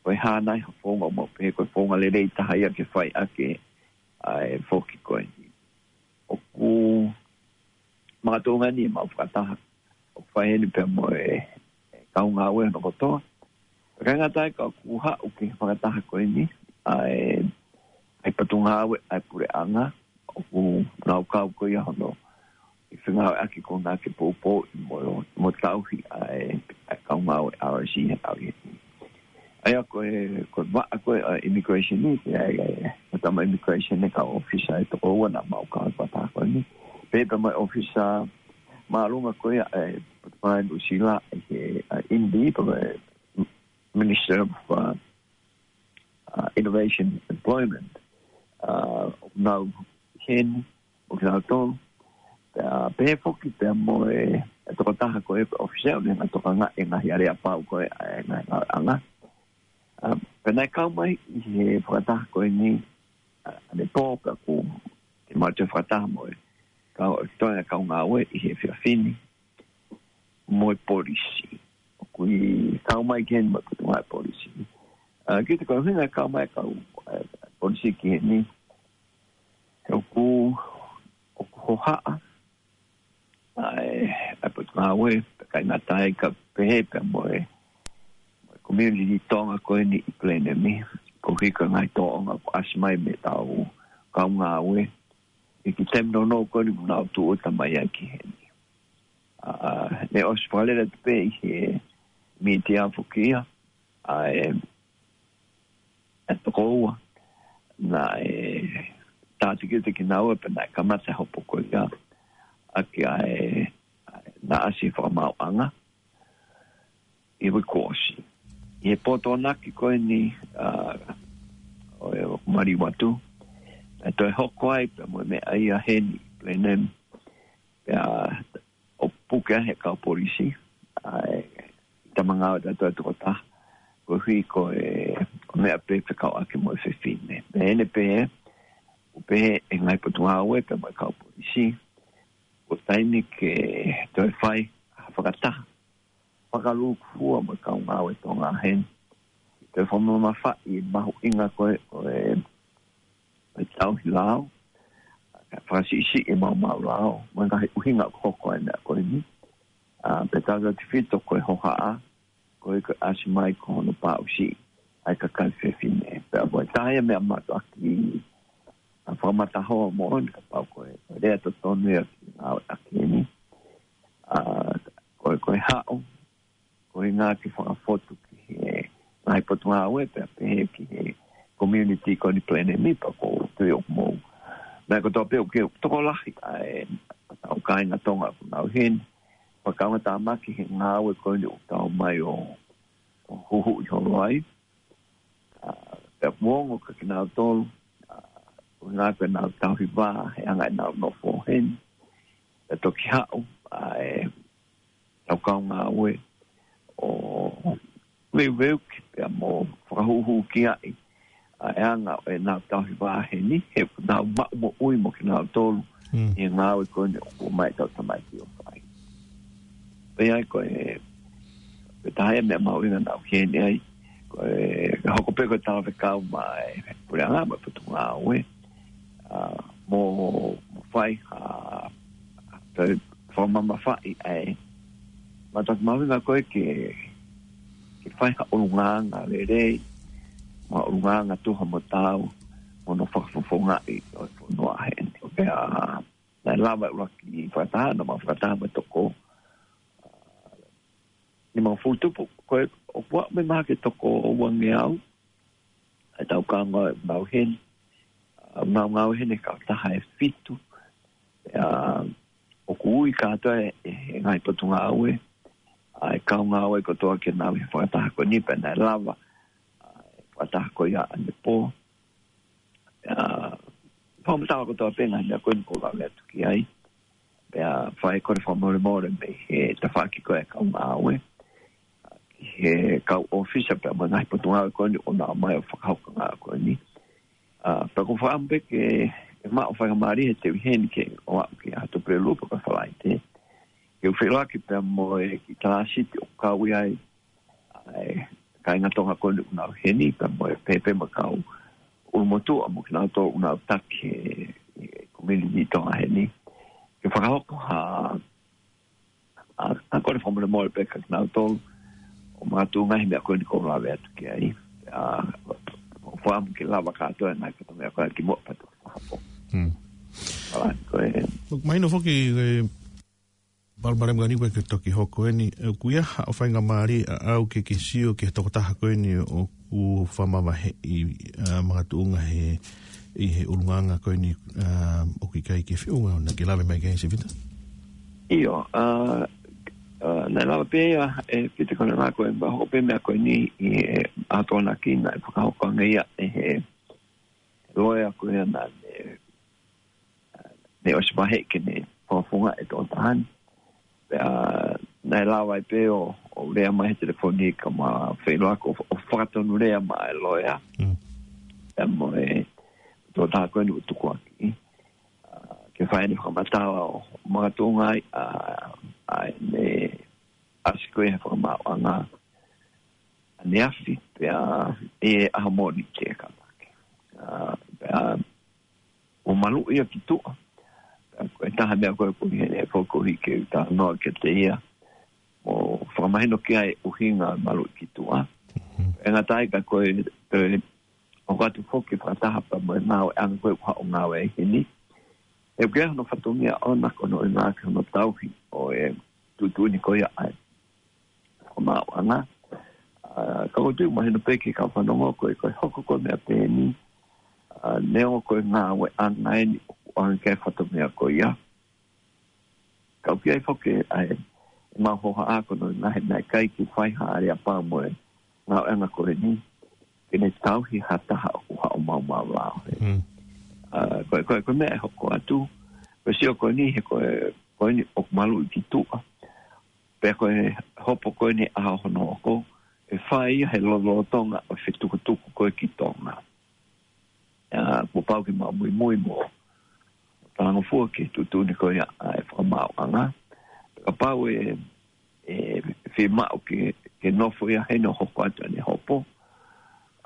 Ko e hā nai ha founga ʻoku mau pehē ko e founga lelei taha ia ke fai ʻaki ʻa e foki ko eni. ʻOku makatuʻunga eni ʻemau fakataha ʻoku fai heni pea mo e, e kau ngāue hono kotoa. Ka ʻikai ngata ai ka ʻoku haʻu ki he fakataha ko eni ʻa e, ʻa e potungāue ʻa e puleʻanga, ʻoku nau kau ko ia hono ʻi fengāueʻaki ko ena ke poupouʻi mo, mo tauhi ʻa e, ʻa e kau ngāue R C he ʻaho ni. ʻA ia ko e, ko e vaʻa ko ē ʻa e immigration ni, ʻa e, ʻa e, ʻa e tama immigration ʻe kau ʻōfisa ʻe toko ua naʻa mau kau he fakataha ko eni. Pehē pē mo e ʻōfisa māʻolunga ko ia ʻa e Potungāue Nuʻusila ʻi he, ā, M D, pea ko e Minister of, ā, ā, Innovation Employment. Ā, ʻoku nau ʻi heni, ʻo kinautolu. Pea, pehē foki pea mo e, e tokotaha ko ē ko e ʻōfisa ʻoku ne hanga ʻo tokangaʻi e ngaahi aleapau ko ē ʻa e ngaahi ngāueʻanga. Ā, pea naʻe kau mai ʻi he fakataha ko eni, ā, ʻanepō pea ʻoku, ke mau toe fakataha mo e kau, ʻa e toenga kau ngāue ʻi he efiafi ni mo e polisi. ʻOku ʻi kau mai ki heni mo e potungāue polisi. Ā, kiate koe ʻuhinga e kau mai e kau, ā, polisi ki heni. He ʻoku, ʻoku hohaʻa ʻa e, ʻa e potungāue, pea ʻikai ngata ai ka pehē pea mo e, mo e community Tonga ko eni ʻi Blenheim, koeʻuhi ko e ngaahi tōʻonga kuo ʻasi mai mei heʻetau kau ngāue, ʻi he kiʻi taimi nounou ko eni ʻoku nau tūʻuta mai ai ki heni. Ā, ne ʻosi fakalele atu pē ʻi he mītia foki ia, ʻa e, ʻa e toko ua. Naʻe tātikite kinaua pea naʻe kamata e hopo ko ia ʻaki ʻa e, ʻa e, naʻe ʻasi e fakamaauʻanga ʻi he uike kuo ʻosi. ʻI he pō Tokonaki ko eni, ā, ʻo e ʻo Maliu atu, naʻe toe hoko ai pea mo e meʻa ia heni, Blenheim, pea ʻo puke ai he kau polisi, ʻa e tama ngāue taha ʻe toko taha, koeʻuhi ko e meʻa pē fekauʻaki mo e fefine. Pea ʻi heʻene pehē, ʻoku pehē ʻe he ngaahi potungāue pea mo e kau polisi, ko e taimi ke toe fai ha fakataha fakalūkufua mo e kau ngāue Tonga heni. Toe fakamamafaʻi e mahuʻinga ko ē ʻo e, ʻo e tauhi lao, fakasiʻisiʻi e maumau lao, mo e ngaahi ʻuhinga ʻoku hoko ai e meʻa ko eni. Ā, pea tautautefito ko e hohaʻa, ko e, ko e ʻasi mai ko hono paʻusiʻi ʻa e kakai fefine. Pea ko e taha ia e meʻa mātuʻaki ʻa e fakamatahoa moʻoni, kapau ko e, ko e lea totonu ia ki he ngāueʻaki eni. Ā, ko e, ko e haʻu, ko e ngaahi fakafotu ki he ngaahi potungāue pea pehē ki he community ko eni Blenheim pea ʻoku ou tui ʻoku mou. Meʻa kotoa pē ʻoku tokolahi ʻa e, ʻa e kāinga Tonga ʻoku nau ʻi heni. kaungatāmaki he ngāue ko eni ʻoku tau mai ʻo, ʻo huhuʻi holo ai. ʻA, pea kuo ongo kia kinautolu, ʻa, ʻuhinga ko ʻenau tauhi vā, he anga ʻenau nofo heni. Pea toki haʻu, ʻa e, tau kaungāue ʻo veuveuki pea mo fakahūhū ki ai ʻa e anga ʻo ʻenau tauhi vā heni, he ʻoku nau maʻu moʻui mo kinautolu Mm. ʻi he ngāue ko eni ʻoku ʻomai ʻetau tamaiki ʻo fai. Pea ko e, ko e taha e meʻa mahuʻinga naʻa ku ʻi heni ai, ko e, ka hoko pē ko e talavekau maʻa e puleʻanga mo e potungāue, ʻa, mo, mo fai ha, ha, fakamamafaʻi ʻa e, matatu mahuʻinga ko ē ke, ke fai ha ʻulungaanga lelei, mo ha ʻulungaanga tuha mo taau, mo hono fakafofongaʻi ʻo e fonua heni. Pea, naʻe lava e ʻuluaki fakataha, naʻa mau fakataha mo e toko nimangofulu tupu, ko e, ʻoku aʻu mai mahalo ki he toko uangeau, ʻa e tau kaungāue ʻoku nau heni. ʻA, ʻoku nau ngāue heni he kautaha ʻe fitu. ʻA, ʻoku ui kātoa e, e ngaahi potungāue, ʻa e kaungāue kotoa ke nau ʻi he fakataha ko eni pea naʻe lava, ʻa, e fakataha ko ia ʻanepō. ʻA, fakamatala kotoa pē ngaahi meʻa ko eni ʻoku ou lave atu ki ai. Pea fai kole fakamolemole mei he tafaʻaki ko ē kaungāue, ʻa, ki he kau ʻōfisa pea mo e ngaahi potungāue ko eni ʻoku nau ō mai ʻo fakahoko e ngāue ko eni. ʻA, pea ʻoku ou fakaʻamu pē ke, ke maʻu faingamālie he te u ʻi heni ke ʻoatu ki he ʻaho Tuʻapulelulu pe ko e Falaite. Ke u feʻiloaki pea mo e kiʻi talāsiti ʻoku kau ai ʻa e kāinga Tonga ko eni ʻoku nau ʻi heni, pea mo e pehē pē mo e kau ʻulumotuʻa mo kinautolu ʻoku nau taki he, he community Tonga heni. Ke fakahoko ha, ʻa, ʻa kole fakamolemole pē kia kinautolu, ʻo makatuʻunga he meʻa ko eni ʻoku ou lave atu ki ai. ʻA, ʻoku ou fakaʻamu ke lava kātoa e ngaahi fatongia ko ē kimuʻa pea toki fakahoko. Hmm. Alright, ko e. Look, mahino foki, e, Palopalema ko eni ko ē ke toki hoko eni, ʻoku ʻi ai haʻo faingamālie ʻaʻau ke ke sio ki he tokotaha ko eni ʻoku fakamavaheʻi, ʻa, makatuʻunga he, ʻi he ʻulungaanga ko eni, ʻa, ʻoku ʻikai ke feʻunga naʻa ke lave mai ki ai Sivita? ʻIo, ʻa, ʻa, naʻe lava pē ia, e, Pita ko e ngaahi ko e, hoko pē meʻa ko eni ʻi he ʻaho Tokonaki naʻe fakahoko ange ia ʻe he loea ko ia naʻa ne, ne ʻosi vaheʻi ke ne fakafofongaʻi e tokotaha ni. Pea naʻe lava ai pē ʻo, ʻo lea mai he telefoni ka mau feʻiloaki ʻo, ʻo fakatonulea maʻa e loea. Mm. Pea mo e tokotaha ko eni ʻoku tukuakiʻi. ʻA, ke fai ʻene fakamatala ʻo makatuʻunga ai, ʻa, ʻa ʻene ʻasi ko ē he fakamaauʻanga ʻaneafi, pea ʻi he ʻaho Mōnite kamata. ʻA, pea ʻo maluʻi ia ki tuʻa. Pea ko e taha meʻa ko ē ʻoku ʻi heni foki ʻoku ou hiki talanoa kiate ia. ʻO fakamahino ki ai ʻuhinga maluʻi ki tuʻa. Mhm. ʻE ngata ai ka ko e, ko e ʻoku ʻatu foki fakataha pea mo e ngāueʻanga ko ē ʻoku haʻu ngāue ai heni. ʻOku ʻi ai hono fatongia ʻoʻona ko hono ʻuhinga ki hono tauhi ʻo e tuʻutuʻuni ko ia ʻa e fakamaauʻanga. ʻA, ka ʻoku ou tui ʻoku mahino pē ki he kau fanongo ko e, ko e hoko ko e meʻa pehē ni, ʻa, neongo ko e ngāueʻanga eni ʻoku ʻoange ki ai e fatongia ko ia. Ka ʻoku ʻi ai foki ʻa e, ʻemau hohaʻa ko hono ʻuhinga he naʻe ʻikai ke fai ha aleapau mo e ngāueʻanga ko eni, ke ne tauhi ha taha ʻoku haʻu maumau lao. Mm. ʻA, ko e, ko e, ko e meʻa ʻe hoko atu, ko e sio ko eni he ko e, ko eni ʻoku maluʻi ki tuʻa. Pea ko e hopo ko eni ʻaho hono hoko, ʻe fai ia he lolotonga ʻo e fetukutuku ko ē ki Tonga. ʻA, kuo pau ke mau muimui mo talangofua ki he tuʻutuʻuni ko ia ʻa e fakamaauʻanga. Kapau ʻe, ʻe fiemaʻu ke, ke nofo ia heni ʻo hoko atu ʻene hopo.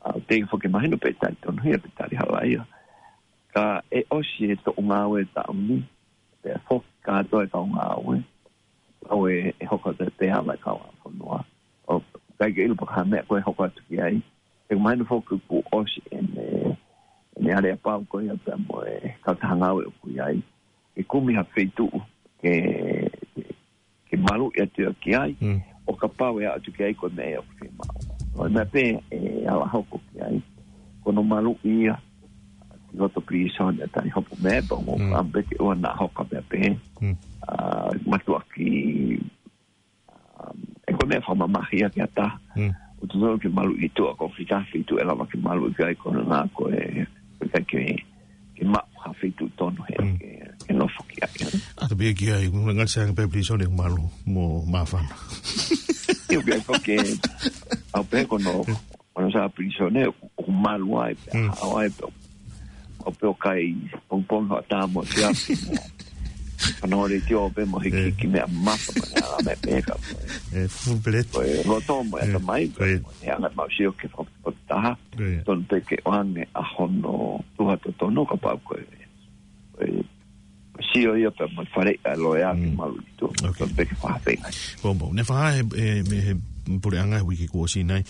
ʻA, teʻeki foki mahino pe tali tonuhia pe tali halaia. Ka ʻe ʻosi e toʻu ngāue taʻu ni, pea foki kātoa e kau ngāue. ʻAu ʻe, ʻe hoko atu pē ʻa e kau ʻa fonua. ʻOku ʻikai ke ʻilo pe ko e hā e meʻa ko ē ʻe hoko atu ki ai. ʻOku mahino foki kuo ʻosi ʻene, ʻene aleapau ko ia pea mo e kautaha ngāue ʻoku ʻi ai. Ke kumi ha feituʻu ke, ke maluʻi atu ia ki ai. Mm. ʻO kapau ʻe aʻu atu ki ai ko e meʻa ia ʻoku fiemaʻu. ʻO e meʻa pē ʻe ala hoko ki ai. Ko hono maluʻi ia ki loto pilīsone ʻa Tanihopo Meʻa, pea ʻoku Mm. fakaʻamu pē ke ʻoua naʻa hoko ha meʻa pehē. Mm. ʻA, matuʻaki e fakamamahi ʻaki ha taha. Mm. ʻOku totonu ke maluʻi ʻi tuʻa, ko e kiʻi taha feituʻu ʻe lava ke maluʻi ki ai, ko hono ʻuhinga ko e, ko e ke, ke maʻu ha feituʻu tonu he, Mm. ke, ke nofo ki ai. ʻA e pehē ki ai, ʻoku ngali sai ange pē pilīsone ʻoku malu mo māfana. ʻIo, pea ko e, ʻoku pehē ko hono, ko hono sai pilīsone ʻoku, ʻoku malu ai, pea Mm. haʻu ai, pea ʻoku pē ʻo kai pongipongi, hoʻatā mo siapi mo. Ka nō le tio pē mo hiki Eh. ki meʻa mafa, mo e ala meʻa pē ka. Eh, full pellet. Ko e loto mo e Eh, ʻatamai, ko e. Ko e anga mau sio ke fakapotopoto taha. Ko e. Tonu pē ke ʻoange ʻa hono tuha totonu kapau ko e. Ko e sio ia pea mo e faleʻi ʻa e loea ke Mm. malu ʻi tuʻa. Ok. Tonu pē ke fakafeinga. Ko mau, ne faha he, he, he puleʻanga he uike kuo ʻosi nai.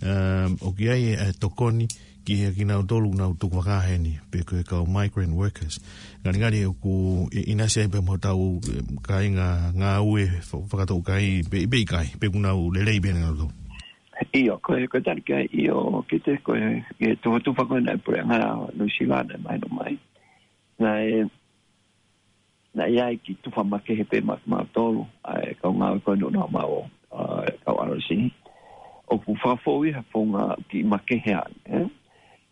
Um, ʻoku ʻi ai e, e tokoni ki he kinautolu ʻoku nau tuku vaka heni, pe ko e kau migrant workers. Ngalingali ʻoku ʻi-, ʻinasi ai pē mo hotau, eh, kāinga ngāue fa-, fakatouʻosi, pe, pe ʻikai, pe ʻoku nau lelei pē ʻa kinautolu. ʻIo, ko e, ko e tali ki ai, ʻio, kiate koe, ʻi he tufa, tufa ko ena ʻa e puleʻanga Nuʻusila naʻe mahino mai. Naʻe, naʻe ʻi ai e kiʻi tufa makehe pē maʻa kimautolu, ʻa e kau ngāue ko eni ʻoku nau maʻu, ʻa e kau R C. ʻOku fakafou ia he founga kiʻi makehe ange, ē?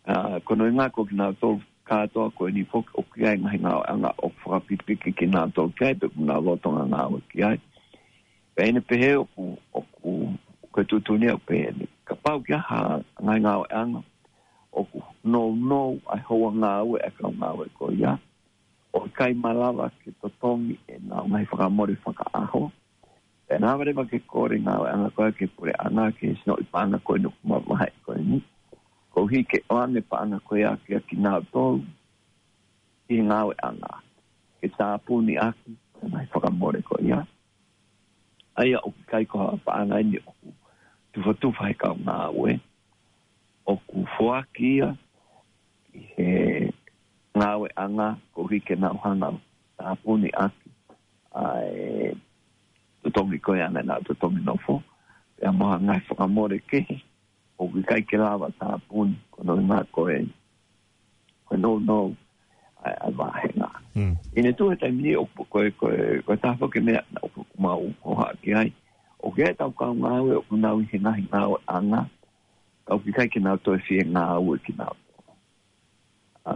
ʻA, ko hono ʻuhinga ko kinautolu kātoa ko eni foki ʻoku ʻi ai e ngaahi ngāueʻanga ʻoku fakapipiki kinautolu ki ai, pe ʻoku nau lolotonga ngāue ki ai. Pea ʻi heʻene pehē ʻoku, ʻoku, ko e tuʻutuʻuni ʻoku pehē ni. Kapau ʻoku ʻi ai ha ngaahi ngāueʻanga ʻoku nounou ai houa ngāue ʻa e kau ngāue ko ia, ʻoku ʻikai malava ke totongi ʻenau ngaahi fakamole fakaʻaho. Pea naʻa lava leva ke kole ngāueʻanga ko ia ki he puleʻanga ke sinoʻi paʻanga ko eni ʻoku mavahe ko eni. Koeʻuhi ke ʻoange paʻanga ko ia kia kinautolu ʻi he ngāueʻanga. Ke tāpuni ʻaki e ngaahi fakamole ko ia. ʻA ia ʻoku ʻikai ko ha paʻanga eni ʻoku tufatufa he kau ngāue. ʻOku foaki ia ʻi he ngāueʻanga koeʻuhi ke nau hanga ʻo tāpuni ʻaki ʻa e totongi ko ia ʻa ʻenau totongi nofo. Pea mo ha ngaahi fakamole kehe ʻoku ʻikai ke lava tāpuni, ko hono ʻuhinga ko e, ko e nounou ʻa e, ʻa e vāhenga. Mm. ʻI heʻene tuʻu he taimi ni ʻoku, ko e, ko e, ko e taha foki e meʻa ʻoku mau hohaʻa ki ai. ʻOku ʻi ai ʻetau kau ngāue ʻoku nau ʻi he ngaahi ngāueʻanga, ka ʻoku ʻikai ke nau toe fie ngāue kinautolu. ʻA,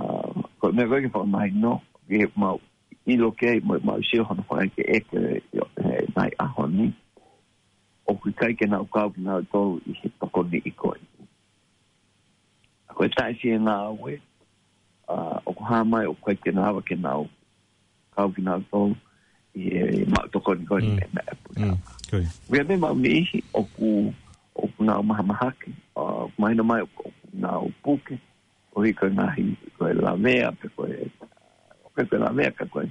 ko e meʻa ko ē ke fakamahino, ke mau ʻilo ki ai mo, mau sio hono fakaʻekeʻeke ʻi he ngaahi ʻaho ni. ʻOku ʻikai ke nau kau kinautolu ʻi he tokoni ko eni. ʻA, ko e taʻefie ngāue, ʻa, ʻoku hā mai ʻoku ʻikai ke nau lava ke nau kau kinautolu ʻi he maʻu tokoni ko eni Mm. mei he puleʻanga. Mm. Ko ia. Ko ia pē mau niʻihi ʻoku, ʻoku nau mahamahaki, ʻa, ʻoku mahino mai ʻoku, ʻoku nau puke, koeʻuhi ko e ngaahi, ko e lavea, pe ko e, ʻoku ʻikai ko e lavea ka ko e,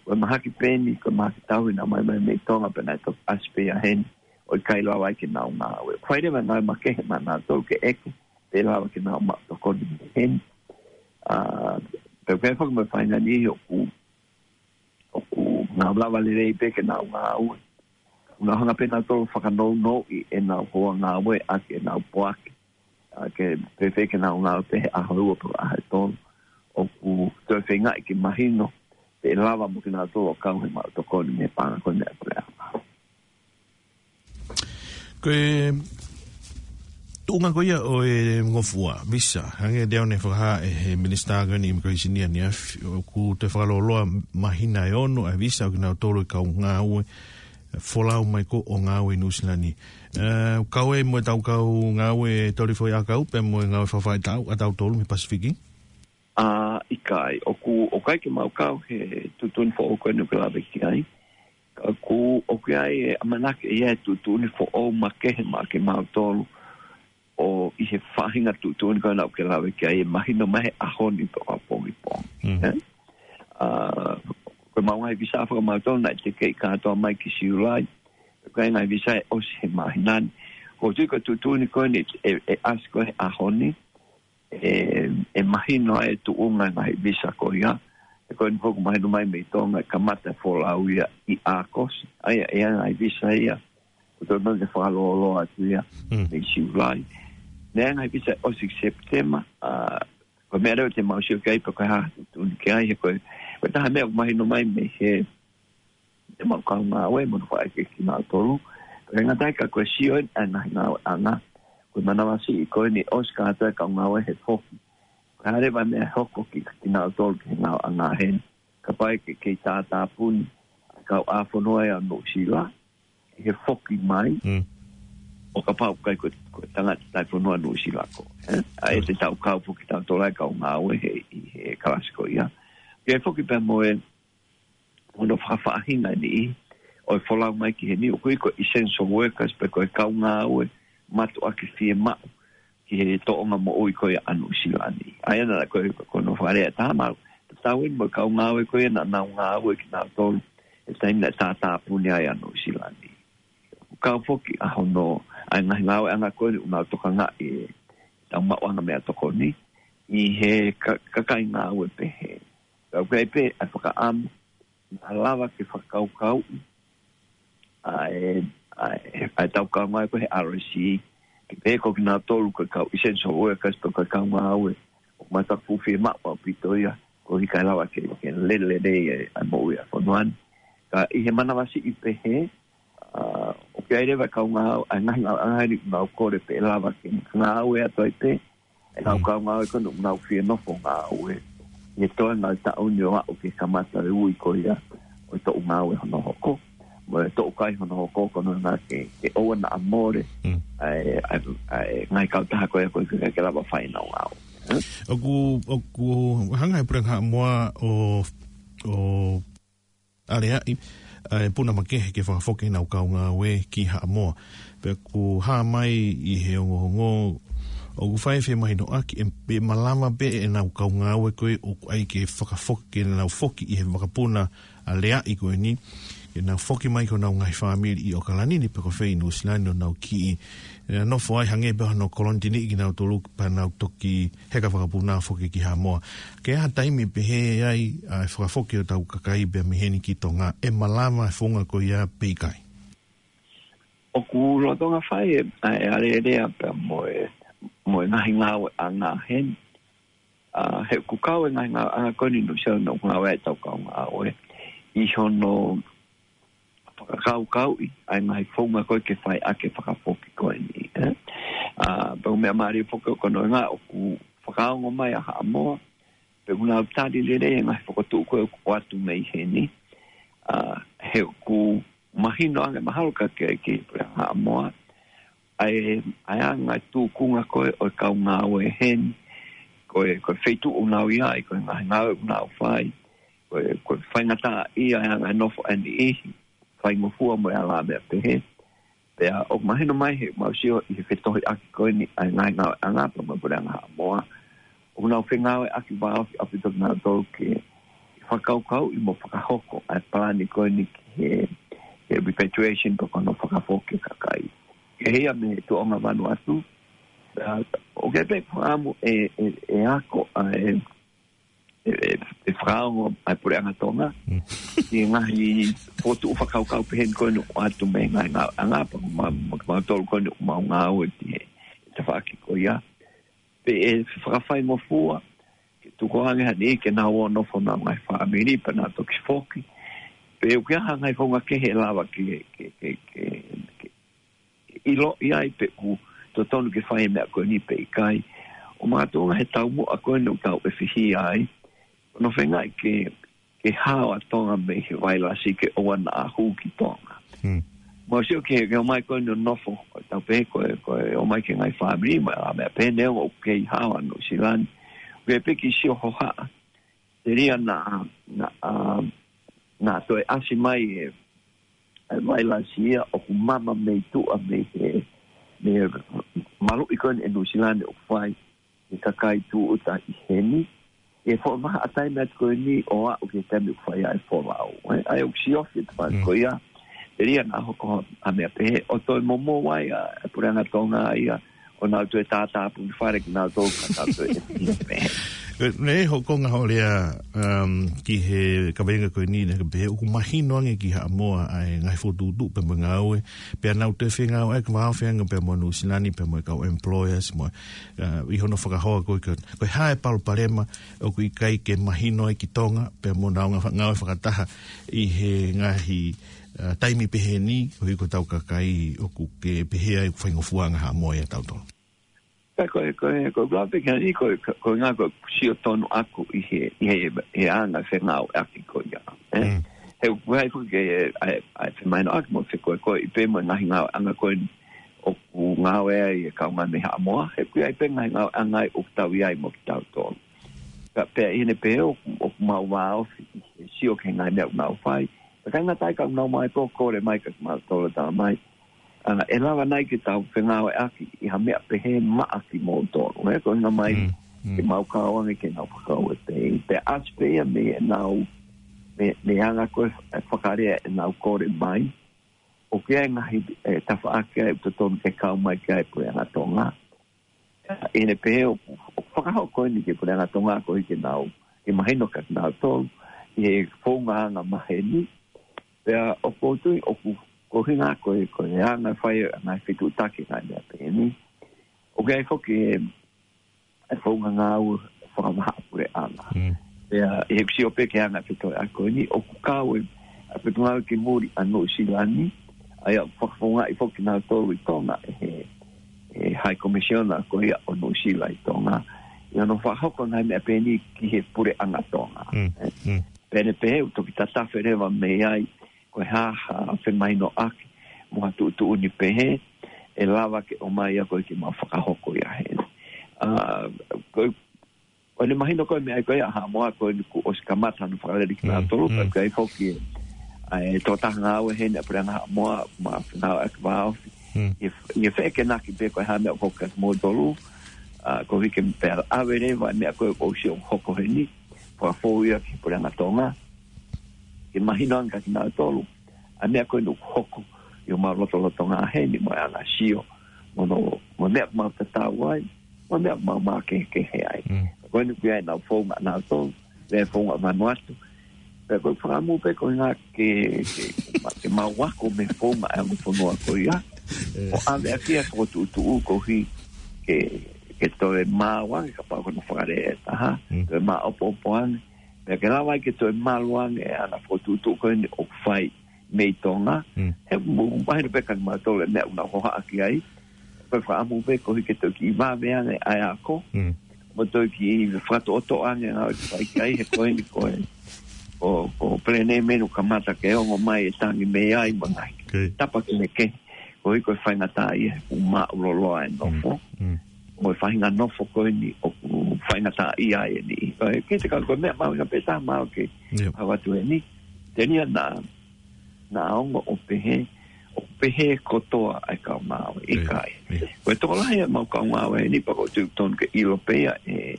ko e mahaki peni, ko e mahaki tauhi naʻa nau ʻomai mai mei Tonga pea naʻe toki ʻasi pē ia heni, ʻo ʻikai lava ai ke nau ngāue. Fai leva e ngāue makehe maʻanautolu ke ʻeke pe ʻe lava ke nau maʻu tokoni mei heni. ʻA, pea ʻoku ʻi ai foki mo e faʻahinga niʻihi ʻoku, ʻoku nau lava lelei pē ke nau ngāue. ʻOku nau hanga pē nautolu ʻo fakanounou ʻenau houa ngāue ʻaki ʻenau poaki. ʻA, ke fēfē ke nau ngāue pē he ʻaho ʻe ua pe ko e ʻaho ʻe tolu. ʻOku toe feingaʻi ke mahino pe ʻe lava mo kinautolu ʻo kau he maʻu tokoni mei he paʻanga ko eni ʻa e puleʻanga. Ko e tuʻunga ko ia ʻo e ngofua, visa, hangē ko e lea naʻe fakahā ʻe he minisitā ko eni immigration ia ʻaneafi, ʻoku toe fakalōloa māhina ʻe ono ʻa e visa ʻo kinautolu e kau ngāue folau mai ko ē ʻo ngāue ʻi Nuʻusila ni. ʻE, kau ai mo ʻetau kau ngāue toli foʻi ʻakau, pea mo e ngāue fakafaʻahitaʻu ʻatautolu mei he Pasifiki? ʻA, ʻikai, ʻoku, ʻoku ʻikai ke mau kau he tuʻutuʻuni foʻou ko eni ʻoku ke lave ki ai. Ka ʻoku, ʻoku ʻi ai e ʻamanaki ʻe ʻi ai e tuʻutuʻuni foʻou makehe maʻa kimautolu ʻo ʻi he faʻahinga tuʻutuʻuni ko ena ʻoku ke lave ki ai ʻe mahino mai he ʻaho ni pe ko e pongipongi. Mm. Ē? ʻA, ko e mau ngaahi visa fakamautolu naʻe tekeʻi kātoa mai ki Siulai. Ko e ngaahi visa ʻe ʻosi he māhina ni. Ko e tui ko e tuʻutuʻuni ko eni ʻe, ʻe ʻasi ko ē he ʻaho ni. ʻE, ʻe mahino ai e tuʻunga e ngaahi visa ko ia. He ko eni foki mahino mai mei Tonga ʻe kamata e folau ia ʻi ʻAokosi. ʻA ia, ʻe ʻi ai e ngaahi visa ia ʻoku totonu ke fakalōloa atu ia Mm. mei Siulai. Naʻe ʻi ai e ngaahi visa ʻosi ki Sepitema, ʻa, ko e meʻa leva te mau sio ki ai pe ko e hā e tuʻutuʻuni ki ai, he ko e, ko e taha meʻa ʻoku mahino mai mei he, he mau kau ngāue mo hono fakaʻekeʻeke kinautolu. Ko e ngata ai ka ko e sio eni ʻa e ngaahi ngāueʻanga, ko e manavasiʻi ko eni ʻosi kātoa e kau ngāue he foki. Ka ʻi ai leva e meʻa hoko ki, kinautolu ki he ngāueʻanga heni, kapau ʻe kei tātāpuni ʻa e kau ʻa fonua ʻa Nuʻusila ki he foki mai, Mm. ʻo kapau ʻoku ʻikai ko, ko e tangata taifonua Nuʻusila ko ē, ē? ʻA ia te tau kau foki tautolu ai kau ngāue he, ʻi he kalasi ko ia. Ke foki pea mo e, mo hono fakafaʻahinga eni ʻi, ʻo e folau mai ki heni, ʻoku ʻi ai ko e essential workers pe ko e kau ngāue mātuʻaki fiemaʻu ki he tōʻonga moʻui ko ia ʻa Nuʻusila ni. ʻA ia naʻa ko e, ko hono fakalea ʻe taha maʻu, tatau eni mo e kau ngāue ko ia naʻa nau ngāue kinautolu he taimi naʻe tātāpuni ai ʻa Nuʻusila ni. Kau foki ʻa hono, ʻa e ngaahi ngāueʻanga ko eni ʻoku nau tokangaʻi e tau maʻuʻanga meʻatokoni ʻi he ka-, kakai ngāue pehē. Kau kai pē ʻa e fakaʻamu, naʻa lava ke fakakaukauʻi ʻa e, ʻa e, ʻa e tau kau ngāue ko ē he R S C, ke pehē ko kinautolu ko e kau essential workers pe ko e kau ngāue ʻoku mātuʻaki fuʻu fiemaʻu ʻaupito ia, koeʻuhi kae lava ke, ke lele lelei e, ʻa e moʻui ʻa e fonua ni. Ka ʻi he manavasiʻi pehē, ʻa, ʻoku ʻi ai leva e kau ngāue, ʻa e ngaahi ngāueʻanga ʻoku nau kole pē ʻe lava ke ngāue atu ai pē e kau Mm. kau ngāue ko ē ʻoku nau fie nofo ngāue ʻi he toenga e taʻu ni ʻo aʻu ki he kamata e ui ko ia ʻo e toʻu ngāue hono hoko, mo e toʻu kai hono hoko, ko hono ʻuhinga ke, ke ʻoua naʻa mole Mm. ʻa e, ʻa e, ʻa e ngaahi kautaha ko ia ko ē ke, ke lava fai ʻenau ngāue. ʻOku, ʻoku hanga ʻe he Puleʻanga Haʻamoa ʻo, ʻo aleaʻi ʻa e puna makehe ke fakafoki ʻenau kau ngāue ki Haʻamoa. Pea ʻoku hā mai ʻi he ongoongo, ʻoku fai e femahinoʻaki ʻe, ʻe malava pē ʻenau kau ngāue ko ē ʻoku ʻai ke fakafoki, ke nau foki ʻi he vakapuna aleaʻi ko eni, ke nau foki mai ki honau ngaahi fāmili ʻi ʻOkalani ni pe ko fē ʻi Nuʻusila ni ʻo nau kiʻi, ē, nofo ai hangē pē hono kolonitiniʻi kinautolu pea nau toki heka vakapuna foki ki Haʻamoa. Ke ʻi ai ha taimi pehē ai ʻa e fakafoki ʻo e tau kakai pea mei heni ki Tonga, ʻe malava e founga ko ia pe ʻikai? ʻOku lolotonga fai e, ʻa e alēlea pea mo e, mo e ngaahi ngāueʻanga heni. ʻA, he ʻoku kau e ngaahi ngāueʻanga ko eni ʻi Nuʻusila ʻoku ngāue ai e tau kau ngāue ʻi hono fakakaukauʻi ʻa e ngaahi founga ko ē ke fai ʻaki e fakafoki ko eni, ē? ʻA, pea ʻoku meʻa mālie foki ko hono ʻuhinga ʻoku fakaongo mai ʻa Haʻamoa, pea ʻoku nau tali lelei e ngaahi fokotuʻu ko ē ʻoku ʻoatu mei heni. ʻA, he ʻoku mahino ange mahalo ka ke, ke Puleʻanga Haʻamoa, ʻa e, ʻa e anga e tūkunga ko ē ʻo e kau ngāue heni, ko e, ko e feituʻu ʻoku nau ʻi ai, ko e ngaahi ngāue ʻoku nau fai, ko e, ko e faingataʻaʻia e anga e nofo ʻa e niʻihi, faingofua mo e alā meʻa pehē. Pea ʻoku mahino mai heʻemau sio ʻi he fetohiʻaki ko eni ʻa e ngaahi ngāueʻanga pea mo e Puleʻanga Haʻamoa, ʻoku nau fengāueʻaki vāofi ʻaupito kinautolu ke fakakaukauʻi mo fakahoko ʻa e palani ko eni ki he, he repatriation pe ko hono fakafoki e kakai. Ke hia mei he tuʻunga Vanuatu, ʻa, ʻoku ʻi ai pē fakaʻamu ʻe, ʻe, ʻe ako ʻa e, ʻe, ʻe, ʻe fakaongo ʻa e Puleʻanga Tonga Mm. ki he ngaahi fokotuʻu fakakaukau pehē ni ko eni ʻoku ʻoatu mei he ngaahi ngāueʻanga pea mo, mo, mo kimautolu ko eni ʻoku mau ngāue ki he tafaʻaki ko ia. Pe ʻe fakafaingofua ke tuku ange ha niʻihi ke nau ō ʻo nofo honau ngaahi fāmili pea nau toki foki. Pe ʻoku ʻi ai ha ngaahi founga kehe ʻe lava ke, ke, ke, ke, ke ʻiloʻi ai pe ʻoku totonu ke fai e meʻa ko eni pe ʻikai. ʻO makatuʻunga he taumuʻa ko eni ʻoku tau ʻefihia ai, ʻoku nau feingaʻi ke, ke hao ʻa Tonga mei he vailasi ke ʻoua naʻa hū ki Tonga. Hmm. Mau sio ki he, ki he ʻomai ko eni ʻo nofo, ʻo tau pehē ko e, ko e ʻomai ki he ngaahi fāmili, mo e alā meʻa pehē, neongo ʻoku kei hao ʻa Nuʻusila ni. ʻOku ʻi ai pē kiʻi sio hohaʻa, telia naʻa, naʻa, naʻa toe ʻasi mai e, e vailasi ia ʻoku mama mei tuʻa mei he, mei he maluʻi ko eni ʻe Nuʻusila ni ʻoku fai ki he kakai tūʻuta ʻi heni. ʻI he foʻi vahaʻa taimi atu ko eni ʻo aʻu ki he taimi ʻoku fai ai e folau, ē? ʻA ia ʻoku siofi e tafaʻaki Mm. ko ia. Telia naʻa hoko ha meʻa pehē, ʻo toe momou ai ʻa e Puleʻanga Tonga ia, ʻo nau toe tātāpuni fale kinautolu ka tau toe ʻefihia pehē. Ē, ne hokonga hoʻo lea, um, ki he kaveinga ko eni, naʻa ke pehē ʻoku mahino ange ki Haʻamoa ʻa e ngaahi fokotuʻutuʻu pea mo e ngāue, pea nau toe fengāueʻaki vāofi ange pea mo Nuʻusila ni pea mo e kau employers mo, uh, ʻi hono fakahoa ko e, ko e hā e palopalema ʻoku ʻikai ke mahino ai ki Tonga, pea mo nau ngā-, ngāue fakataha ʻi he ngaahi ʻa, taimi pehē ni, koeʻuhi ko ʻetau kakai ʻoku ke pehē ai ʻoku faingofua ʻa Haʻamoa ʻia tautolu. Ka ko e, ko e, ko e ʻuluaki pē ke ani, ko e, ko e ʻuhinga ko e sio tonu ʻaku ʻi he, ʻi he, he anga fengāueʻaki ko ia. Eh? Mm. He ʻoku ʻi ai foki e, ʻa e, ʻa e femahinoʻaki mo e fekoekoeʻi pē mo e ngaahi ngāueʻanga ko eni ʻoku ngāue ai e kaungā mei Haʻamoa. He ʻoku ʻi ai pē ngaahi ngāueʻanga ʻoku tau ʻi ai mo kitautolu. Ka pea ʻi heʻene pehē ʻoku, ʻoku mau vāofi ʻi he sio ki he ngaahi meʻa ʻoku nau fai. Ka ʻikai ngata ai ka ʻoku nau mai pē ʻo kole mai kia kimautolu ʻo tala mai, ʻa, ʻe lava nai ke tau fengāueʻaki ʻi ha meʻa pehē maʻa kimoutolu. He ko e ʻuhinga mai, Mm, mm. ke mau kau ange ke nau fakakaukau pē. Pea ʻasi pē ia mei heʻenau, mei, mei he anga ko ē e fakalea ʻenau kole mai. ʻOku ʻi ai e ngaahi, e, tafaʻaki ʻoku totonu ke kau mai ki ai e Puleʻanga Tonga. ʻI heʻene pehē ʻoku, ʻoku fakahoko eni ki he Puleʻanga Tonga koeʻuhi ke nau, ke mahino kia kinautolu ʻi he founga anga maheni. Pea ʻoku ou tui ʻoku, ko e ʻuhinga ko e, ko e anga e fai ʻa e ngaahi fetuʻutaki ngaahi meʻa pehē ni. ʻOku ʻi ai foki e, e founga ngāue fakavahaʻa puleʻanga. Mm. Pea ʻi heʻeku sio pē ki he anga e fetuʻutaki ko eni, ʻoku kau e, ʻa e Potungāue ki Muli ʻa Nuʻusila ni, ʻa ia ʻoku fakafoungaʻi foki kinautolu ʻi Tonga ʻe he, he High Commissioner ko ia ʻo Nuʻusila ʻi Tonga. ʻI hono fakahoko ngaahi meʻa pehē ni ki he Puleʻanga Tonga. Mm, Eh, mm. Pea ʻi heʻene pehē ʻoku toki tatafe leva mei ai, ko e hā ha femahinoʻaki, mo ha tuʻutuʻuni pehē, ʻe lava ke ʻomai ia koeʻuhi ke mau fakahoko ia heni. ʻA, ko e, ko ʻene mahino ko e meʻa ko ia ʻa Haʻamoa ko eni kuo ʻosi kamata hono fakalele Mm, kinautolu, mm. pea ʻoku ʻi ai foki e, ʻa e tokotaha ngāue heni ʻa e Puleʻanga Haʻamoa, ma fengāueʻaki vāofi. Mm. ʻI he, ʻi he feʻekenaki pē ko e hā e meʻa ʻoku hoko kia kimoutolu, ʻa, koeʻuhi ke pea ʻave leva e meʻa ko ē ʻoku ou sio ʻoku hoko heni, fakafou ia ki he Puleʻanga Tonga. Ke mahino ange kia kinautolu ʻa e meʻa ko eni ʻoku hoko ʻi homau lotolotonga heni mo e anga sio. Mo hono, mo e meʻa ʻoku mau tatau ai, mo e meʻa ʻoku mau makehekehe ai. Mm. Ko eni ʻoku ʻi ai ʻenau founga ʻanautolu, pea founga Vanuatu. Pea ko e fakaʻamu pē ko e ʻuhinga ke, ke, ke mau ako mei he founga ʻa e ongo fonua ko ia. Eh. ʻO ʻave ʻaki ʻa e fokotuʻutuʻu koeʻuhi ke, ke toe maau ange kapau ko hono fakalea ʻe taha, Mm. toe māʻopoʻopo ange. Pea ke lava ai ke toe malu ange ʻa e fokotuʻutuʻu ko eni ʻoku fai mei Tonga. Mm. He ʻoku mahino pē kia kimautolu e meʻa ʻoku nau hohaʻa ki ai. Ko e fakaʻamu pē koeʻuhi ke toe kiʻi vave ange ʻa e ako. Mm. Mo toe kiʻi fakatoʻotoʻo ange ngāue ʻoku fai ki ai he ko eni ko e, ko, ko e peleni mei he ʻoku kamata ke ongo mai e tangi mei ai mo e ngaahi Okay. tapa kehekehe. Koeʻuhi ko e faingataʻaʻia he ʻoku māʻuloloa e nofo. Mm, mm. Mo e faʻahinga nofo ko eni ʻoku faingataʻaʻia ai eni. Ko e kiʻi te kau ko e meʻa mahuʻinga pē taha mau ke Yep. hau atu eni. Telia naʻa, naʻa ongo ʻo pehē, ʻo pehē kotoa ʻa e kau ngāue. ʻIkai. Yeah. Ko e tokolahi ʻa e mau kau ngāue eni pea ʻoku ou tui ʻoku totonu ke ʻilo pē ia ʻe he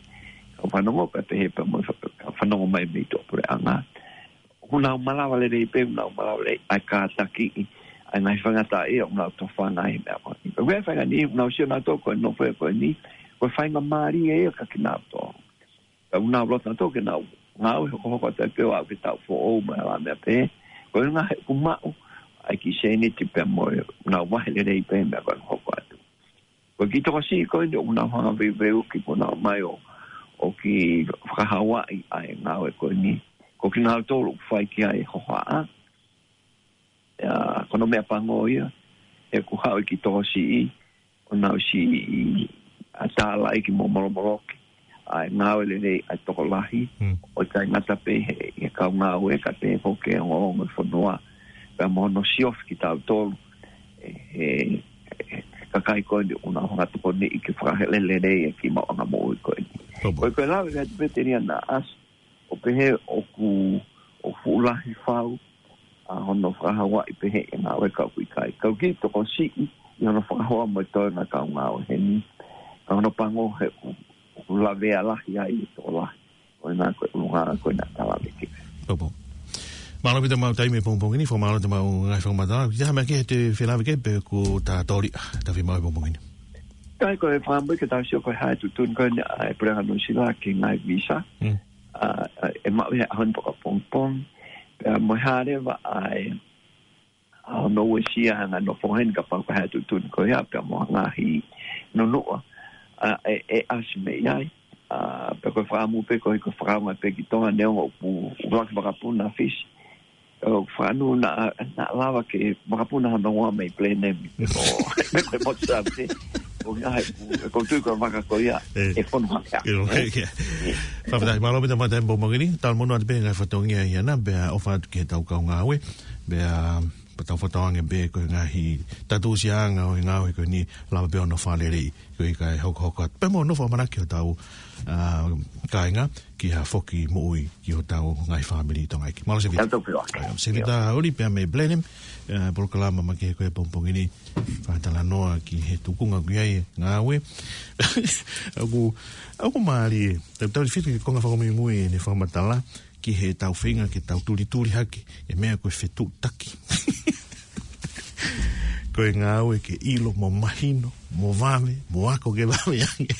kau fanongo pea pehē pē mo e fa-, kau fanongo mai mei tuʻapuleʻanga. ʻOku nau malava lelei pē, ʻoku nau malava lelei ʻa e kātakiʻi ʻa e ngaahi faingataʻaʻia ʻoku nau tofanga ai he meʻa ko eni. Ko e faʻahinga niʻihi ʻoku nau sio nautolu ko e nofo ko eni, ko e faingamālie ia kia kinautolu. Ka ʻoku nau loto nautolu ke nau ngāue hokohoko atu ai pē ʻo aʻu ki he taʻu foʻou mo e ʻalā meʻa pē. Ko e ʻuhinga he ʻoku maʻu ʻa e kiʻi sēniti pea mo e, ʻoku nau vahe lelei pē meʻa ko ē ʻoku hoko atu. Ko e kiʻi tokosiʻi ko eni ʻoku nau hanga veuveuki ko ʻenau mai ʻo, ʻo kiʻi fakahauaʻi ʻa e ngāue ko eni. Ko kinautolu ʻoku fai ki ai e hohaʻa. ʻIa, ko hono meʻapango ia, he ʻoku haʻu e kiʻi tokosiʻi, ʻo nau siʻi ʻa tālaʻi ki mo molomoloki ʻa e ngāue lelei ʻa e tokolahi, Hmm. ʻo ʻikai ngata pē he, he kau ngāue ka pehē foki ki he ongoongo e fonua. Pea mo hono siofi kitautolu, ʻe he, he, he kakai ko eni ʻoku nau hanga tokoniʻi ke fakahele lelei e kiʻi maʻuʻanga moʻui ko eni. Tau pau. Ko e, ko e lave atu pē Telia naʻa ʻasi, ʻo pehē ʻoku, ʻoku fuʻu lahi fau ʻa hono fakahauaʻi pehē e ngāue ka ʻoku ʻikai. Ka ʻoku kiʻi tokosiʻi ʻi hono fakahoa mo e toenga kau ngāue heni. Ka hono pango he ʻoku, ʻoku lavea lahi ai e tokolahi. Ko ena ko e ʻulungaanga ko ena tala me ke. Tau pau. Mālō ʻaupito homau taimi he pongipongi ni, fakamālō atu homau ngaahi fakamatala. Kiʻi taha meʻa kehe te felāveʻi ki ai pe kuo ta tōliʻa, ta fiemaʻu he pongipongi ni. Kai ko e fakaʻamu ke tau sio ko e hā e tuʻutuʻuni ko eni ʻa e Puleʻanga Nuʻusila ki he ngaahi visa. Hmm. ʻA, ʻa, ʻe maʻu ia he ʻaho ni pea ko e pongipongi. Pea mo e hā leva ʻa e, ʻa hono uesia ʻa e ngaahi nofo heni kapau ko e hā e tuʻutuʻuni ko ia pea mo e ngaahi nunuʻa. ʻA, ʻe, ʻe ʻasi mei ai. ʻA, pea ko e fakaʻamu pē koeʻuhi ko e fakaʻamu pē ki Tonga neongo ʻoku, ʻoku ʻuluaki vakapuna Fisi. ʻO fanu na, na lava ke makapuna hano hoa mei Blenheim. Ko, me ko mo sa te. Ko nga he, ko tui ko vaka ko ia. E fonu hake. Fakafetaʻi, mālō pē tamata e pō mangini. Tau mono atu pē ngaahi fatongia ia na, pea ʻofa atu ki he tau kau ngāue. Pea, pea tau fatoange pē ko e ngaahi tatusiʻanga ʻo e ngāue ko eni lava pē ʻo nofo lelei. Ko e ʻikai hokohoko atu. Pea mo nofo ʻamanaki hotau, ʻa, kāinga ki ha foki moʻui ki hotau ngaahi fāmili ʻi Tonga ʻEiki. Mālō Sevita. Tau tau piro ake. ʻAi, Sevita Oli pea mei Blenheim, ʻa, polokalama makehe ko e pongipongi ni. Fakatalanoa ki he tuʻunga ʻoku ʻi ai e ngāue. ʻOku, ʻoku mālie. Tau tau fitu ki he konga fakamuimui ʻene fakamatala ki he tau feinga ke tau tulituli hake e meʻa ko e fetuʻutaki. Ko e ngāue ke ʻilo mo mahino, mo vave, mo ako ke vave ange.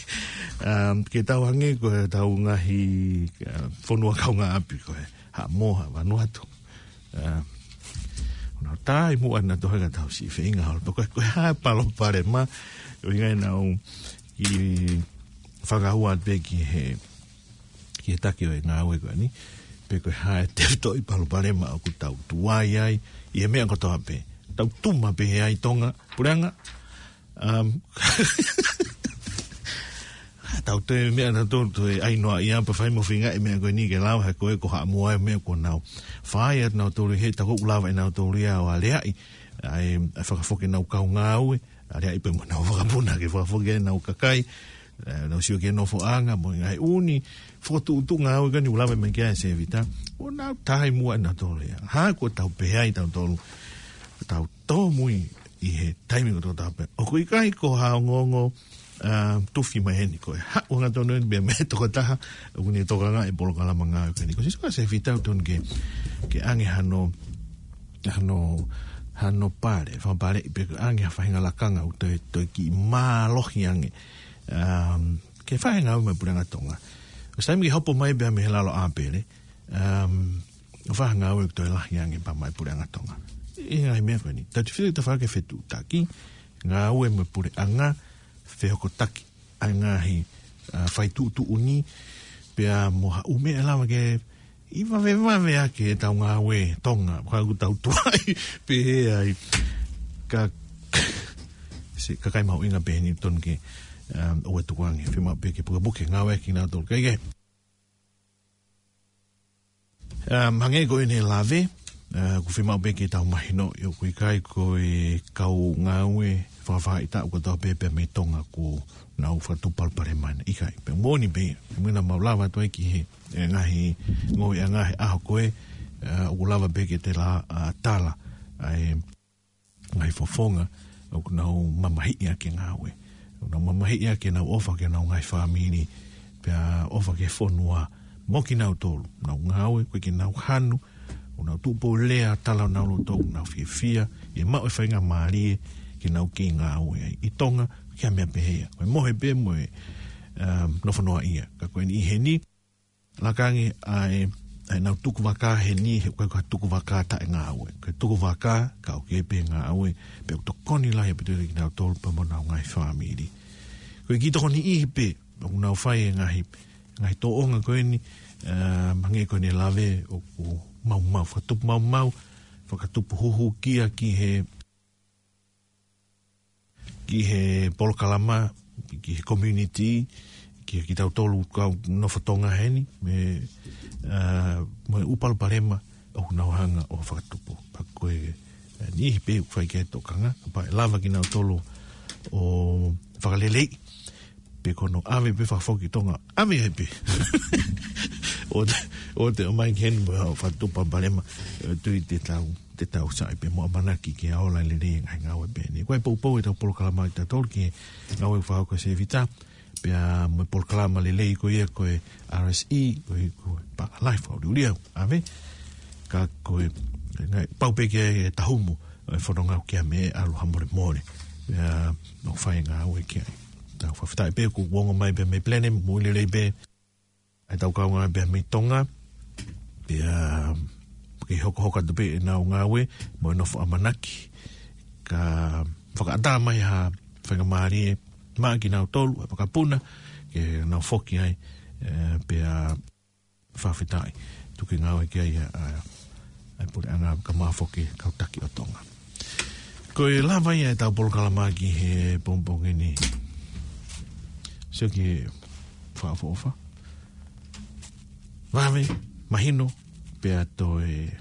Um, ke tau ange ko e tau ngaahi, uh, fonua kaungāʻapi ko e Haʻamoa, Vanuatu. Uh, ʻo nau tai muʻa na tohenga tau siʻi feinga holo. Ko e, ko e hā e palopalema, ʻo ʻikai nau ʻi fakaua pē ki he ki he taki ʻo e ngāue ko eni, pe ko e hā e tefitoʻi palopalema ʻoku tau tuai ai, ʻi he meʻa kotoa pē. Tau tuma pē he ai Tonga, puleʻanga, um, tau toe meʻa na tau toe ai noa ia pa fai mo finga e meʻa ko eni ke lau he ko e ko Haʻamoa e meʻa ko nau. Fai atu nau tolu he tau ko lava e nau tolu ia ʻo aleaʻi, ʻai, ʻai fakafoki nau kau ngāue, aleaʻi pē mo nau vakapuna ke fakafoki e nau kakai, ʻe, nau sio ki he nofoʻanga, mo e ngaahi ʻū fokotuʻutuʻu ngāue ko eni ʻoku lave mai ki ai Sevita. ʻO nau tai muʻa na tolu ia. Hā ko tau pehē ai tau tolu. Tau tōmui ʻi he taimi ko tau tau pē. ʻOku ʻikai ko ha ongoongo, ʻa, tufi mai heni ko e. Haʻu hangatonu eni pē mei he tokotaha, ʻoku ne tokangaʻi e polokalama ngāue ko eni. Ko Sevita ʻoku tonu ke, ke ange hano, hano, hano pale, fakapale ʻi pē ange ha faʻahinga lakanga ʻoku toe, toe kiʻi mālohi ange. Um, ke fai ngāue mai puleʻanga Tonga. ʻO sai mi hopo mai pē mei he lalo ʻāpele. Um, ʻo fai ngāue ʻoku toe lahi ange pea mai puleʻanga Tonga. ʻI he ngaahi meʻa ko eni. Tau te fili ta fai ke fetuʻutaki. Ngāue mo e puleʻanga fehokotaki. ʻA e ngaahi, ʻa, fai tuʻutuʻuni. Pea mo ha ʻū meʻa lava ke ʻi vavevave ake e tau ngāue Tonga, ka ʻoku tau tuai pehē ai. Ka, se, kakai mahuʻinga pē eni tonu ke, um, ʻoua tukuange, fiemaʻu pē ke pukepuke ngāue ki nau tolu. Kae kehe. Um, hangē ko ʻene lave, ʻa, ʻoku fiemaʻu pē ke tau mahino, ʻio ʻoku ʻikai ko e kau ngāue fakafaʻahitaʻu kotoa pē pea mei Tonga ʻoku nau fakatupu palopalema ʻikai. Pea moʻoni pē, mena mau lava atu ai ki he e ngaahi ngāue ʻa e ngaahi ʻaho ko ē, ʻa, ʻoku lava pē ke te la, ʻa, tala, ʻa e ngaahi fofonga, ʻoku nau mamahiʻi ʻaki e ngāue. ʻOku nau mamahiʻi ʻaki ʻenau ʻofa ki heʻenau ngaahi fāmili, pea ʻofa ki he fonua, mo kinautolu, nau ngāue, ko e ke nau hanu, ʻoku nau tuʻu pē ʻo lea, tala ʻenau loto, ʻoku nau fiefia, ʻi he maʻu e faingamālie, ke nau kei ngāue ai. ʻI Tonga, ke ha meʻa pehē ia. Ko e mohe pē mo e, um, nofo noaʻia. Ka ko eni ʻi heni, laka ange ʻa e, ʻa e nau tukuvaka heni, he ʻoku ʻikai ko ha tukuvaka taʻengāue. Ko e tukuvaka, ka ʻoku kei pē ngāue, pea ʻoku tokoni lahi ʻaupito kinautolu pea mo ʻenau ngaahi fāmili. Ko e kiʻi tokoni ʻi he pē, ʻoku nau fai e ngaahi, ngaahi tōʻonga ko eni, ʻa, hangē ko ʻene lave ʻoku maumau, fakatupu maumau, fakatupu huhukia ki he ki he polokalama, ki he community, ki he kitautolu kau nofo Tonga heni, me, ʻa, mo e ʻū palopalema ʻoku nau hanga ʻo fakatupu. Pea ko e, ʻa, niʻihi pē ʻoku fai ki ai e tokanga, pea ʻe lava kinautolu ʻo fakaleleiʻi, pe ko hono ʻave pē fakafoki Tonga, ʻave ai pē. ʻO te, ʻo te ʻomai ki heni mo e fakatupu palopalema, ʻe, tui te tau te tau sai pē mo ʻamanaki ke ola lelei e ngaahi ngāue pē eni. Ko e poupou e tau polokalama ʻi tautolu ki he ngāue fakahoko ʻa Sevita, pea mo e polokalama lelei ko ia ko e R S E, ko e, ko e pā lahi fakaʻuliʻulia, ʻave, ka ko e, ngaahi, pau pē ke tahumu, e fononga ki a me ʻalu ha molemole, pea mo fai ngāue ki ai. Tau fakafetaʻi pē kuo ongo mai pē mei Blenheim, moʻui lelei pē, ʻa e tau kau ngāue pē mei Tonga, pea ke hokohoko atu pē ʻenau ngāue, mo e nofo ʻamanaki, ka fakaʻatā mai ha faingamālie maʻa kinautolu, ʻa e vakapuna, ke nau foki ai, ʻe, pea fakafetaʻi, tuku e ngāue ki ai, ʻa, ʻa, ʻa e puleʻanga kae ʻumaʻā foki e kau taki ʻo Tonga. Ko e lava ia ʻetau polokalama ki he pongipongi ni. Sio ki he fakaʻofoʻofa. Vave, mahino, pea toe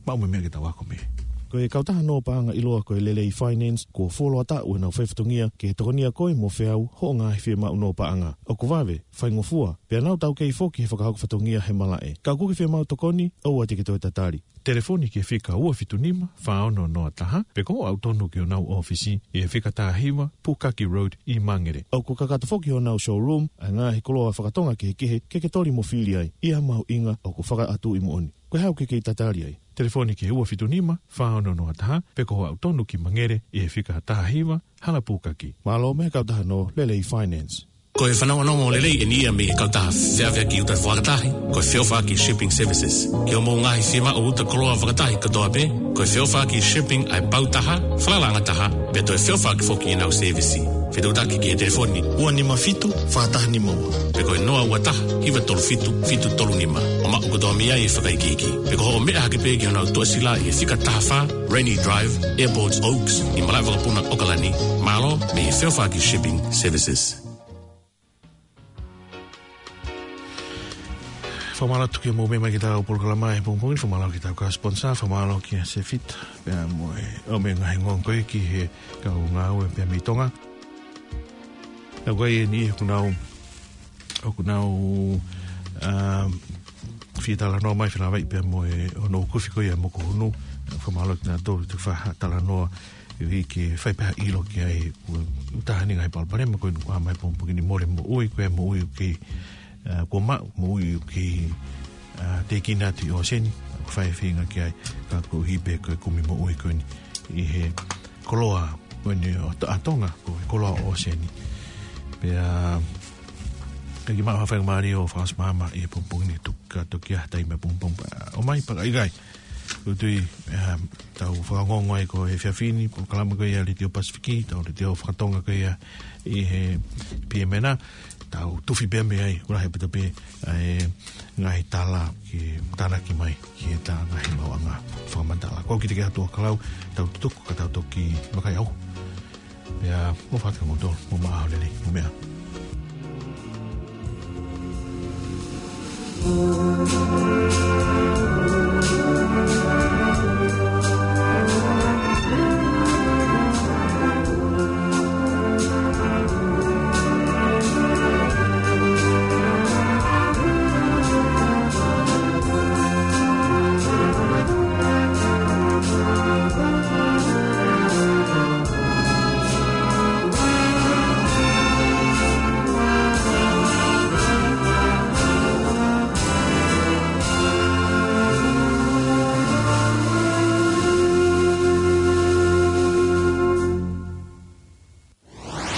maʻu mo e meʻa ke tau ako mei ai. Ko e kautaha nō paʻanga ʻiloa ko e Lelei Finance, kuo fuoloa taʻu ʻenau fai fatongia ke tokonia koe mo feau hoʻo ngaahi fiemaʻu nō paʻanga. ʻOku vave, faingofua, pea nau taukei foki he fakahoko fatongia he malaʻe. Ka ʻoku ke fiemaʻu tokoni, ʻoua te ke toe tatali. Telefoni ki he fika ua fitu nima, fā ono noa taha, pe ko hoʻo aʻu tonu ki honau ʻōfisi ʻi he fika taha hiva, Pukaki Road ʻi Mangere. ʻOku kakato foki honau showroom ʻa e ngaahi koloa fakatonga kehekehe ke ke toli mo fili ai, ʻi ha mahuʻinga ʻoku fakaʻatuʻi moʻoni. Ko e hā ʻoku ke kei tatali ai? Telefoni ki he ua fitu nima, fā ono noa taha, pe ko hoʻo aʻu tonu ki Mangere ʻi he fika taha hiva, Hala Pukaki. Mālō mei he kautaha nō Lelei Finance. Ko e fanongonongo lelei eni ia mei he kautaha feʻaveʻaki uta fakatahi, ko e Feʻofaʻaki Shipping Services. Ki hoʻomou ngaahi fiemaʻu uta koloa fakatahi kotoa pē, ko e Feʻofaʻaki Shipping ʻa e pau taha, falalaʻanga taha, pea toe feʻofaʻaki foki ʻenau sēvisi. Fetuʻutaki ki he telefoni ua nima fitu, fā taha nima ua, pe ko e noa ua taha, hiva tolu fitu, fitu tolu nima. ʻO maʻu kotoa mei ai e fakaikiiki. Pe ko hoʻo meʻa hake pē ki honau tuʻasila ʻi he fika taha fā, Rainy Drive, Airports Oaks, ʻi malaʻe vakapuna ʻAokalani. Mālō mei he Feʻofaʻaki Shipping Services. Fakamālō atu ki hoʻomou meʻa mai ki heʻetau polokalama he pongipongi ni, fakamālō ki heʻetau kau sponsor, fakamālō kia Sefita, pea mo e, ʻo mei he ngaahi ongoongo ko ē ki he kau ngāue pea mei Tonga. Naʻa ko eni ʻoku nau, ʻoku nau, um, fie talanoa mai, fie lavaʻi pea mo e, ʻo Nokufi ko ia mo Kuhunu, fakamālō kinautolu ʻoku fai ha talanoa, ʻi he ke fai pē ha ʻilo ki ai, ʻoku, ʻoku taha eni ngaahi palopalema ko eni ʻoku ʻomai he pongipongi ni, mole moʻui, ko e moʻui ʻoku kei, ā, kuo maʻu, moʻui ʻoku kei, ā, tēkina atu ʻi ʻōseni, ʻoku fai e feinga ki ai, ka koeʻuhi pē ko e kumi moʻui ko eni ʻi he koloa ko eni ʻo To-, ʻa Tonga, ko e koloa ʻōseni. Pea, ʻikai ke maʻu ha faingamālie ʻo fakaʻosi maama ʻi he pongipongi ni, tuku ka toki ʻi ai ha taimi ʻapongipongi, ʻomai pea ka ʻikai. ʻOku ou tui, ā, tau fakaongoongo ai ko e efiafi ni, polokalama ko ia ʻa e Letiō Pasifiki, ʻetau letiō fakatonga ko ia ʻi he P M N, tau tufi pē mei ai, ʻoku lahi ʻaupito pē ʻa e ngaahi tala ke tānaki mai ki heʻetau ngaahi maʻuʻanga fakamatala. Ko au Kiteki Atu ʻo Kalau, tau tutuku ka tau toki vakai au. Pea, mou fakatapu kimoutolu, mou maʻu ʻaho lelei, mou meʻa.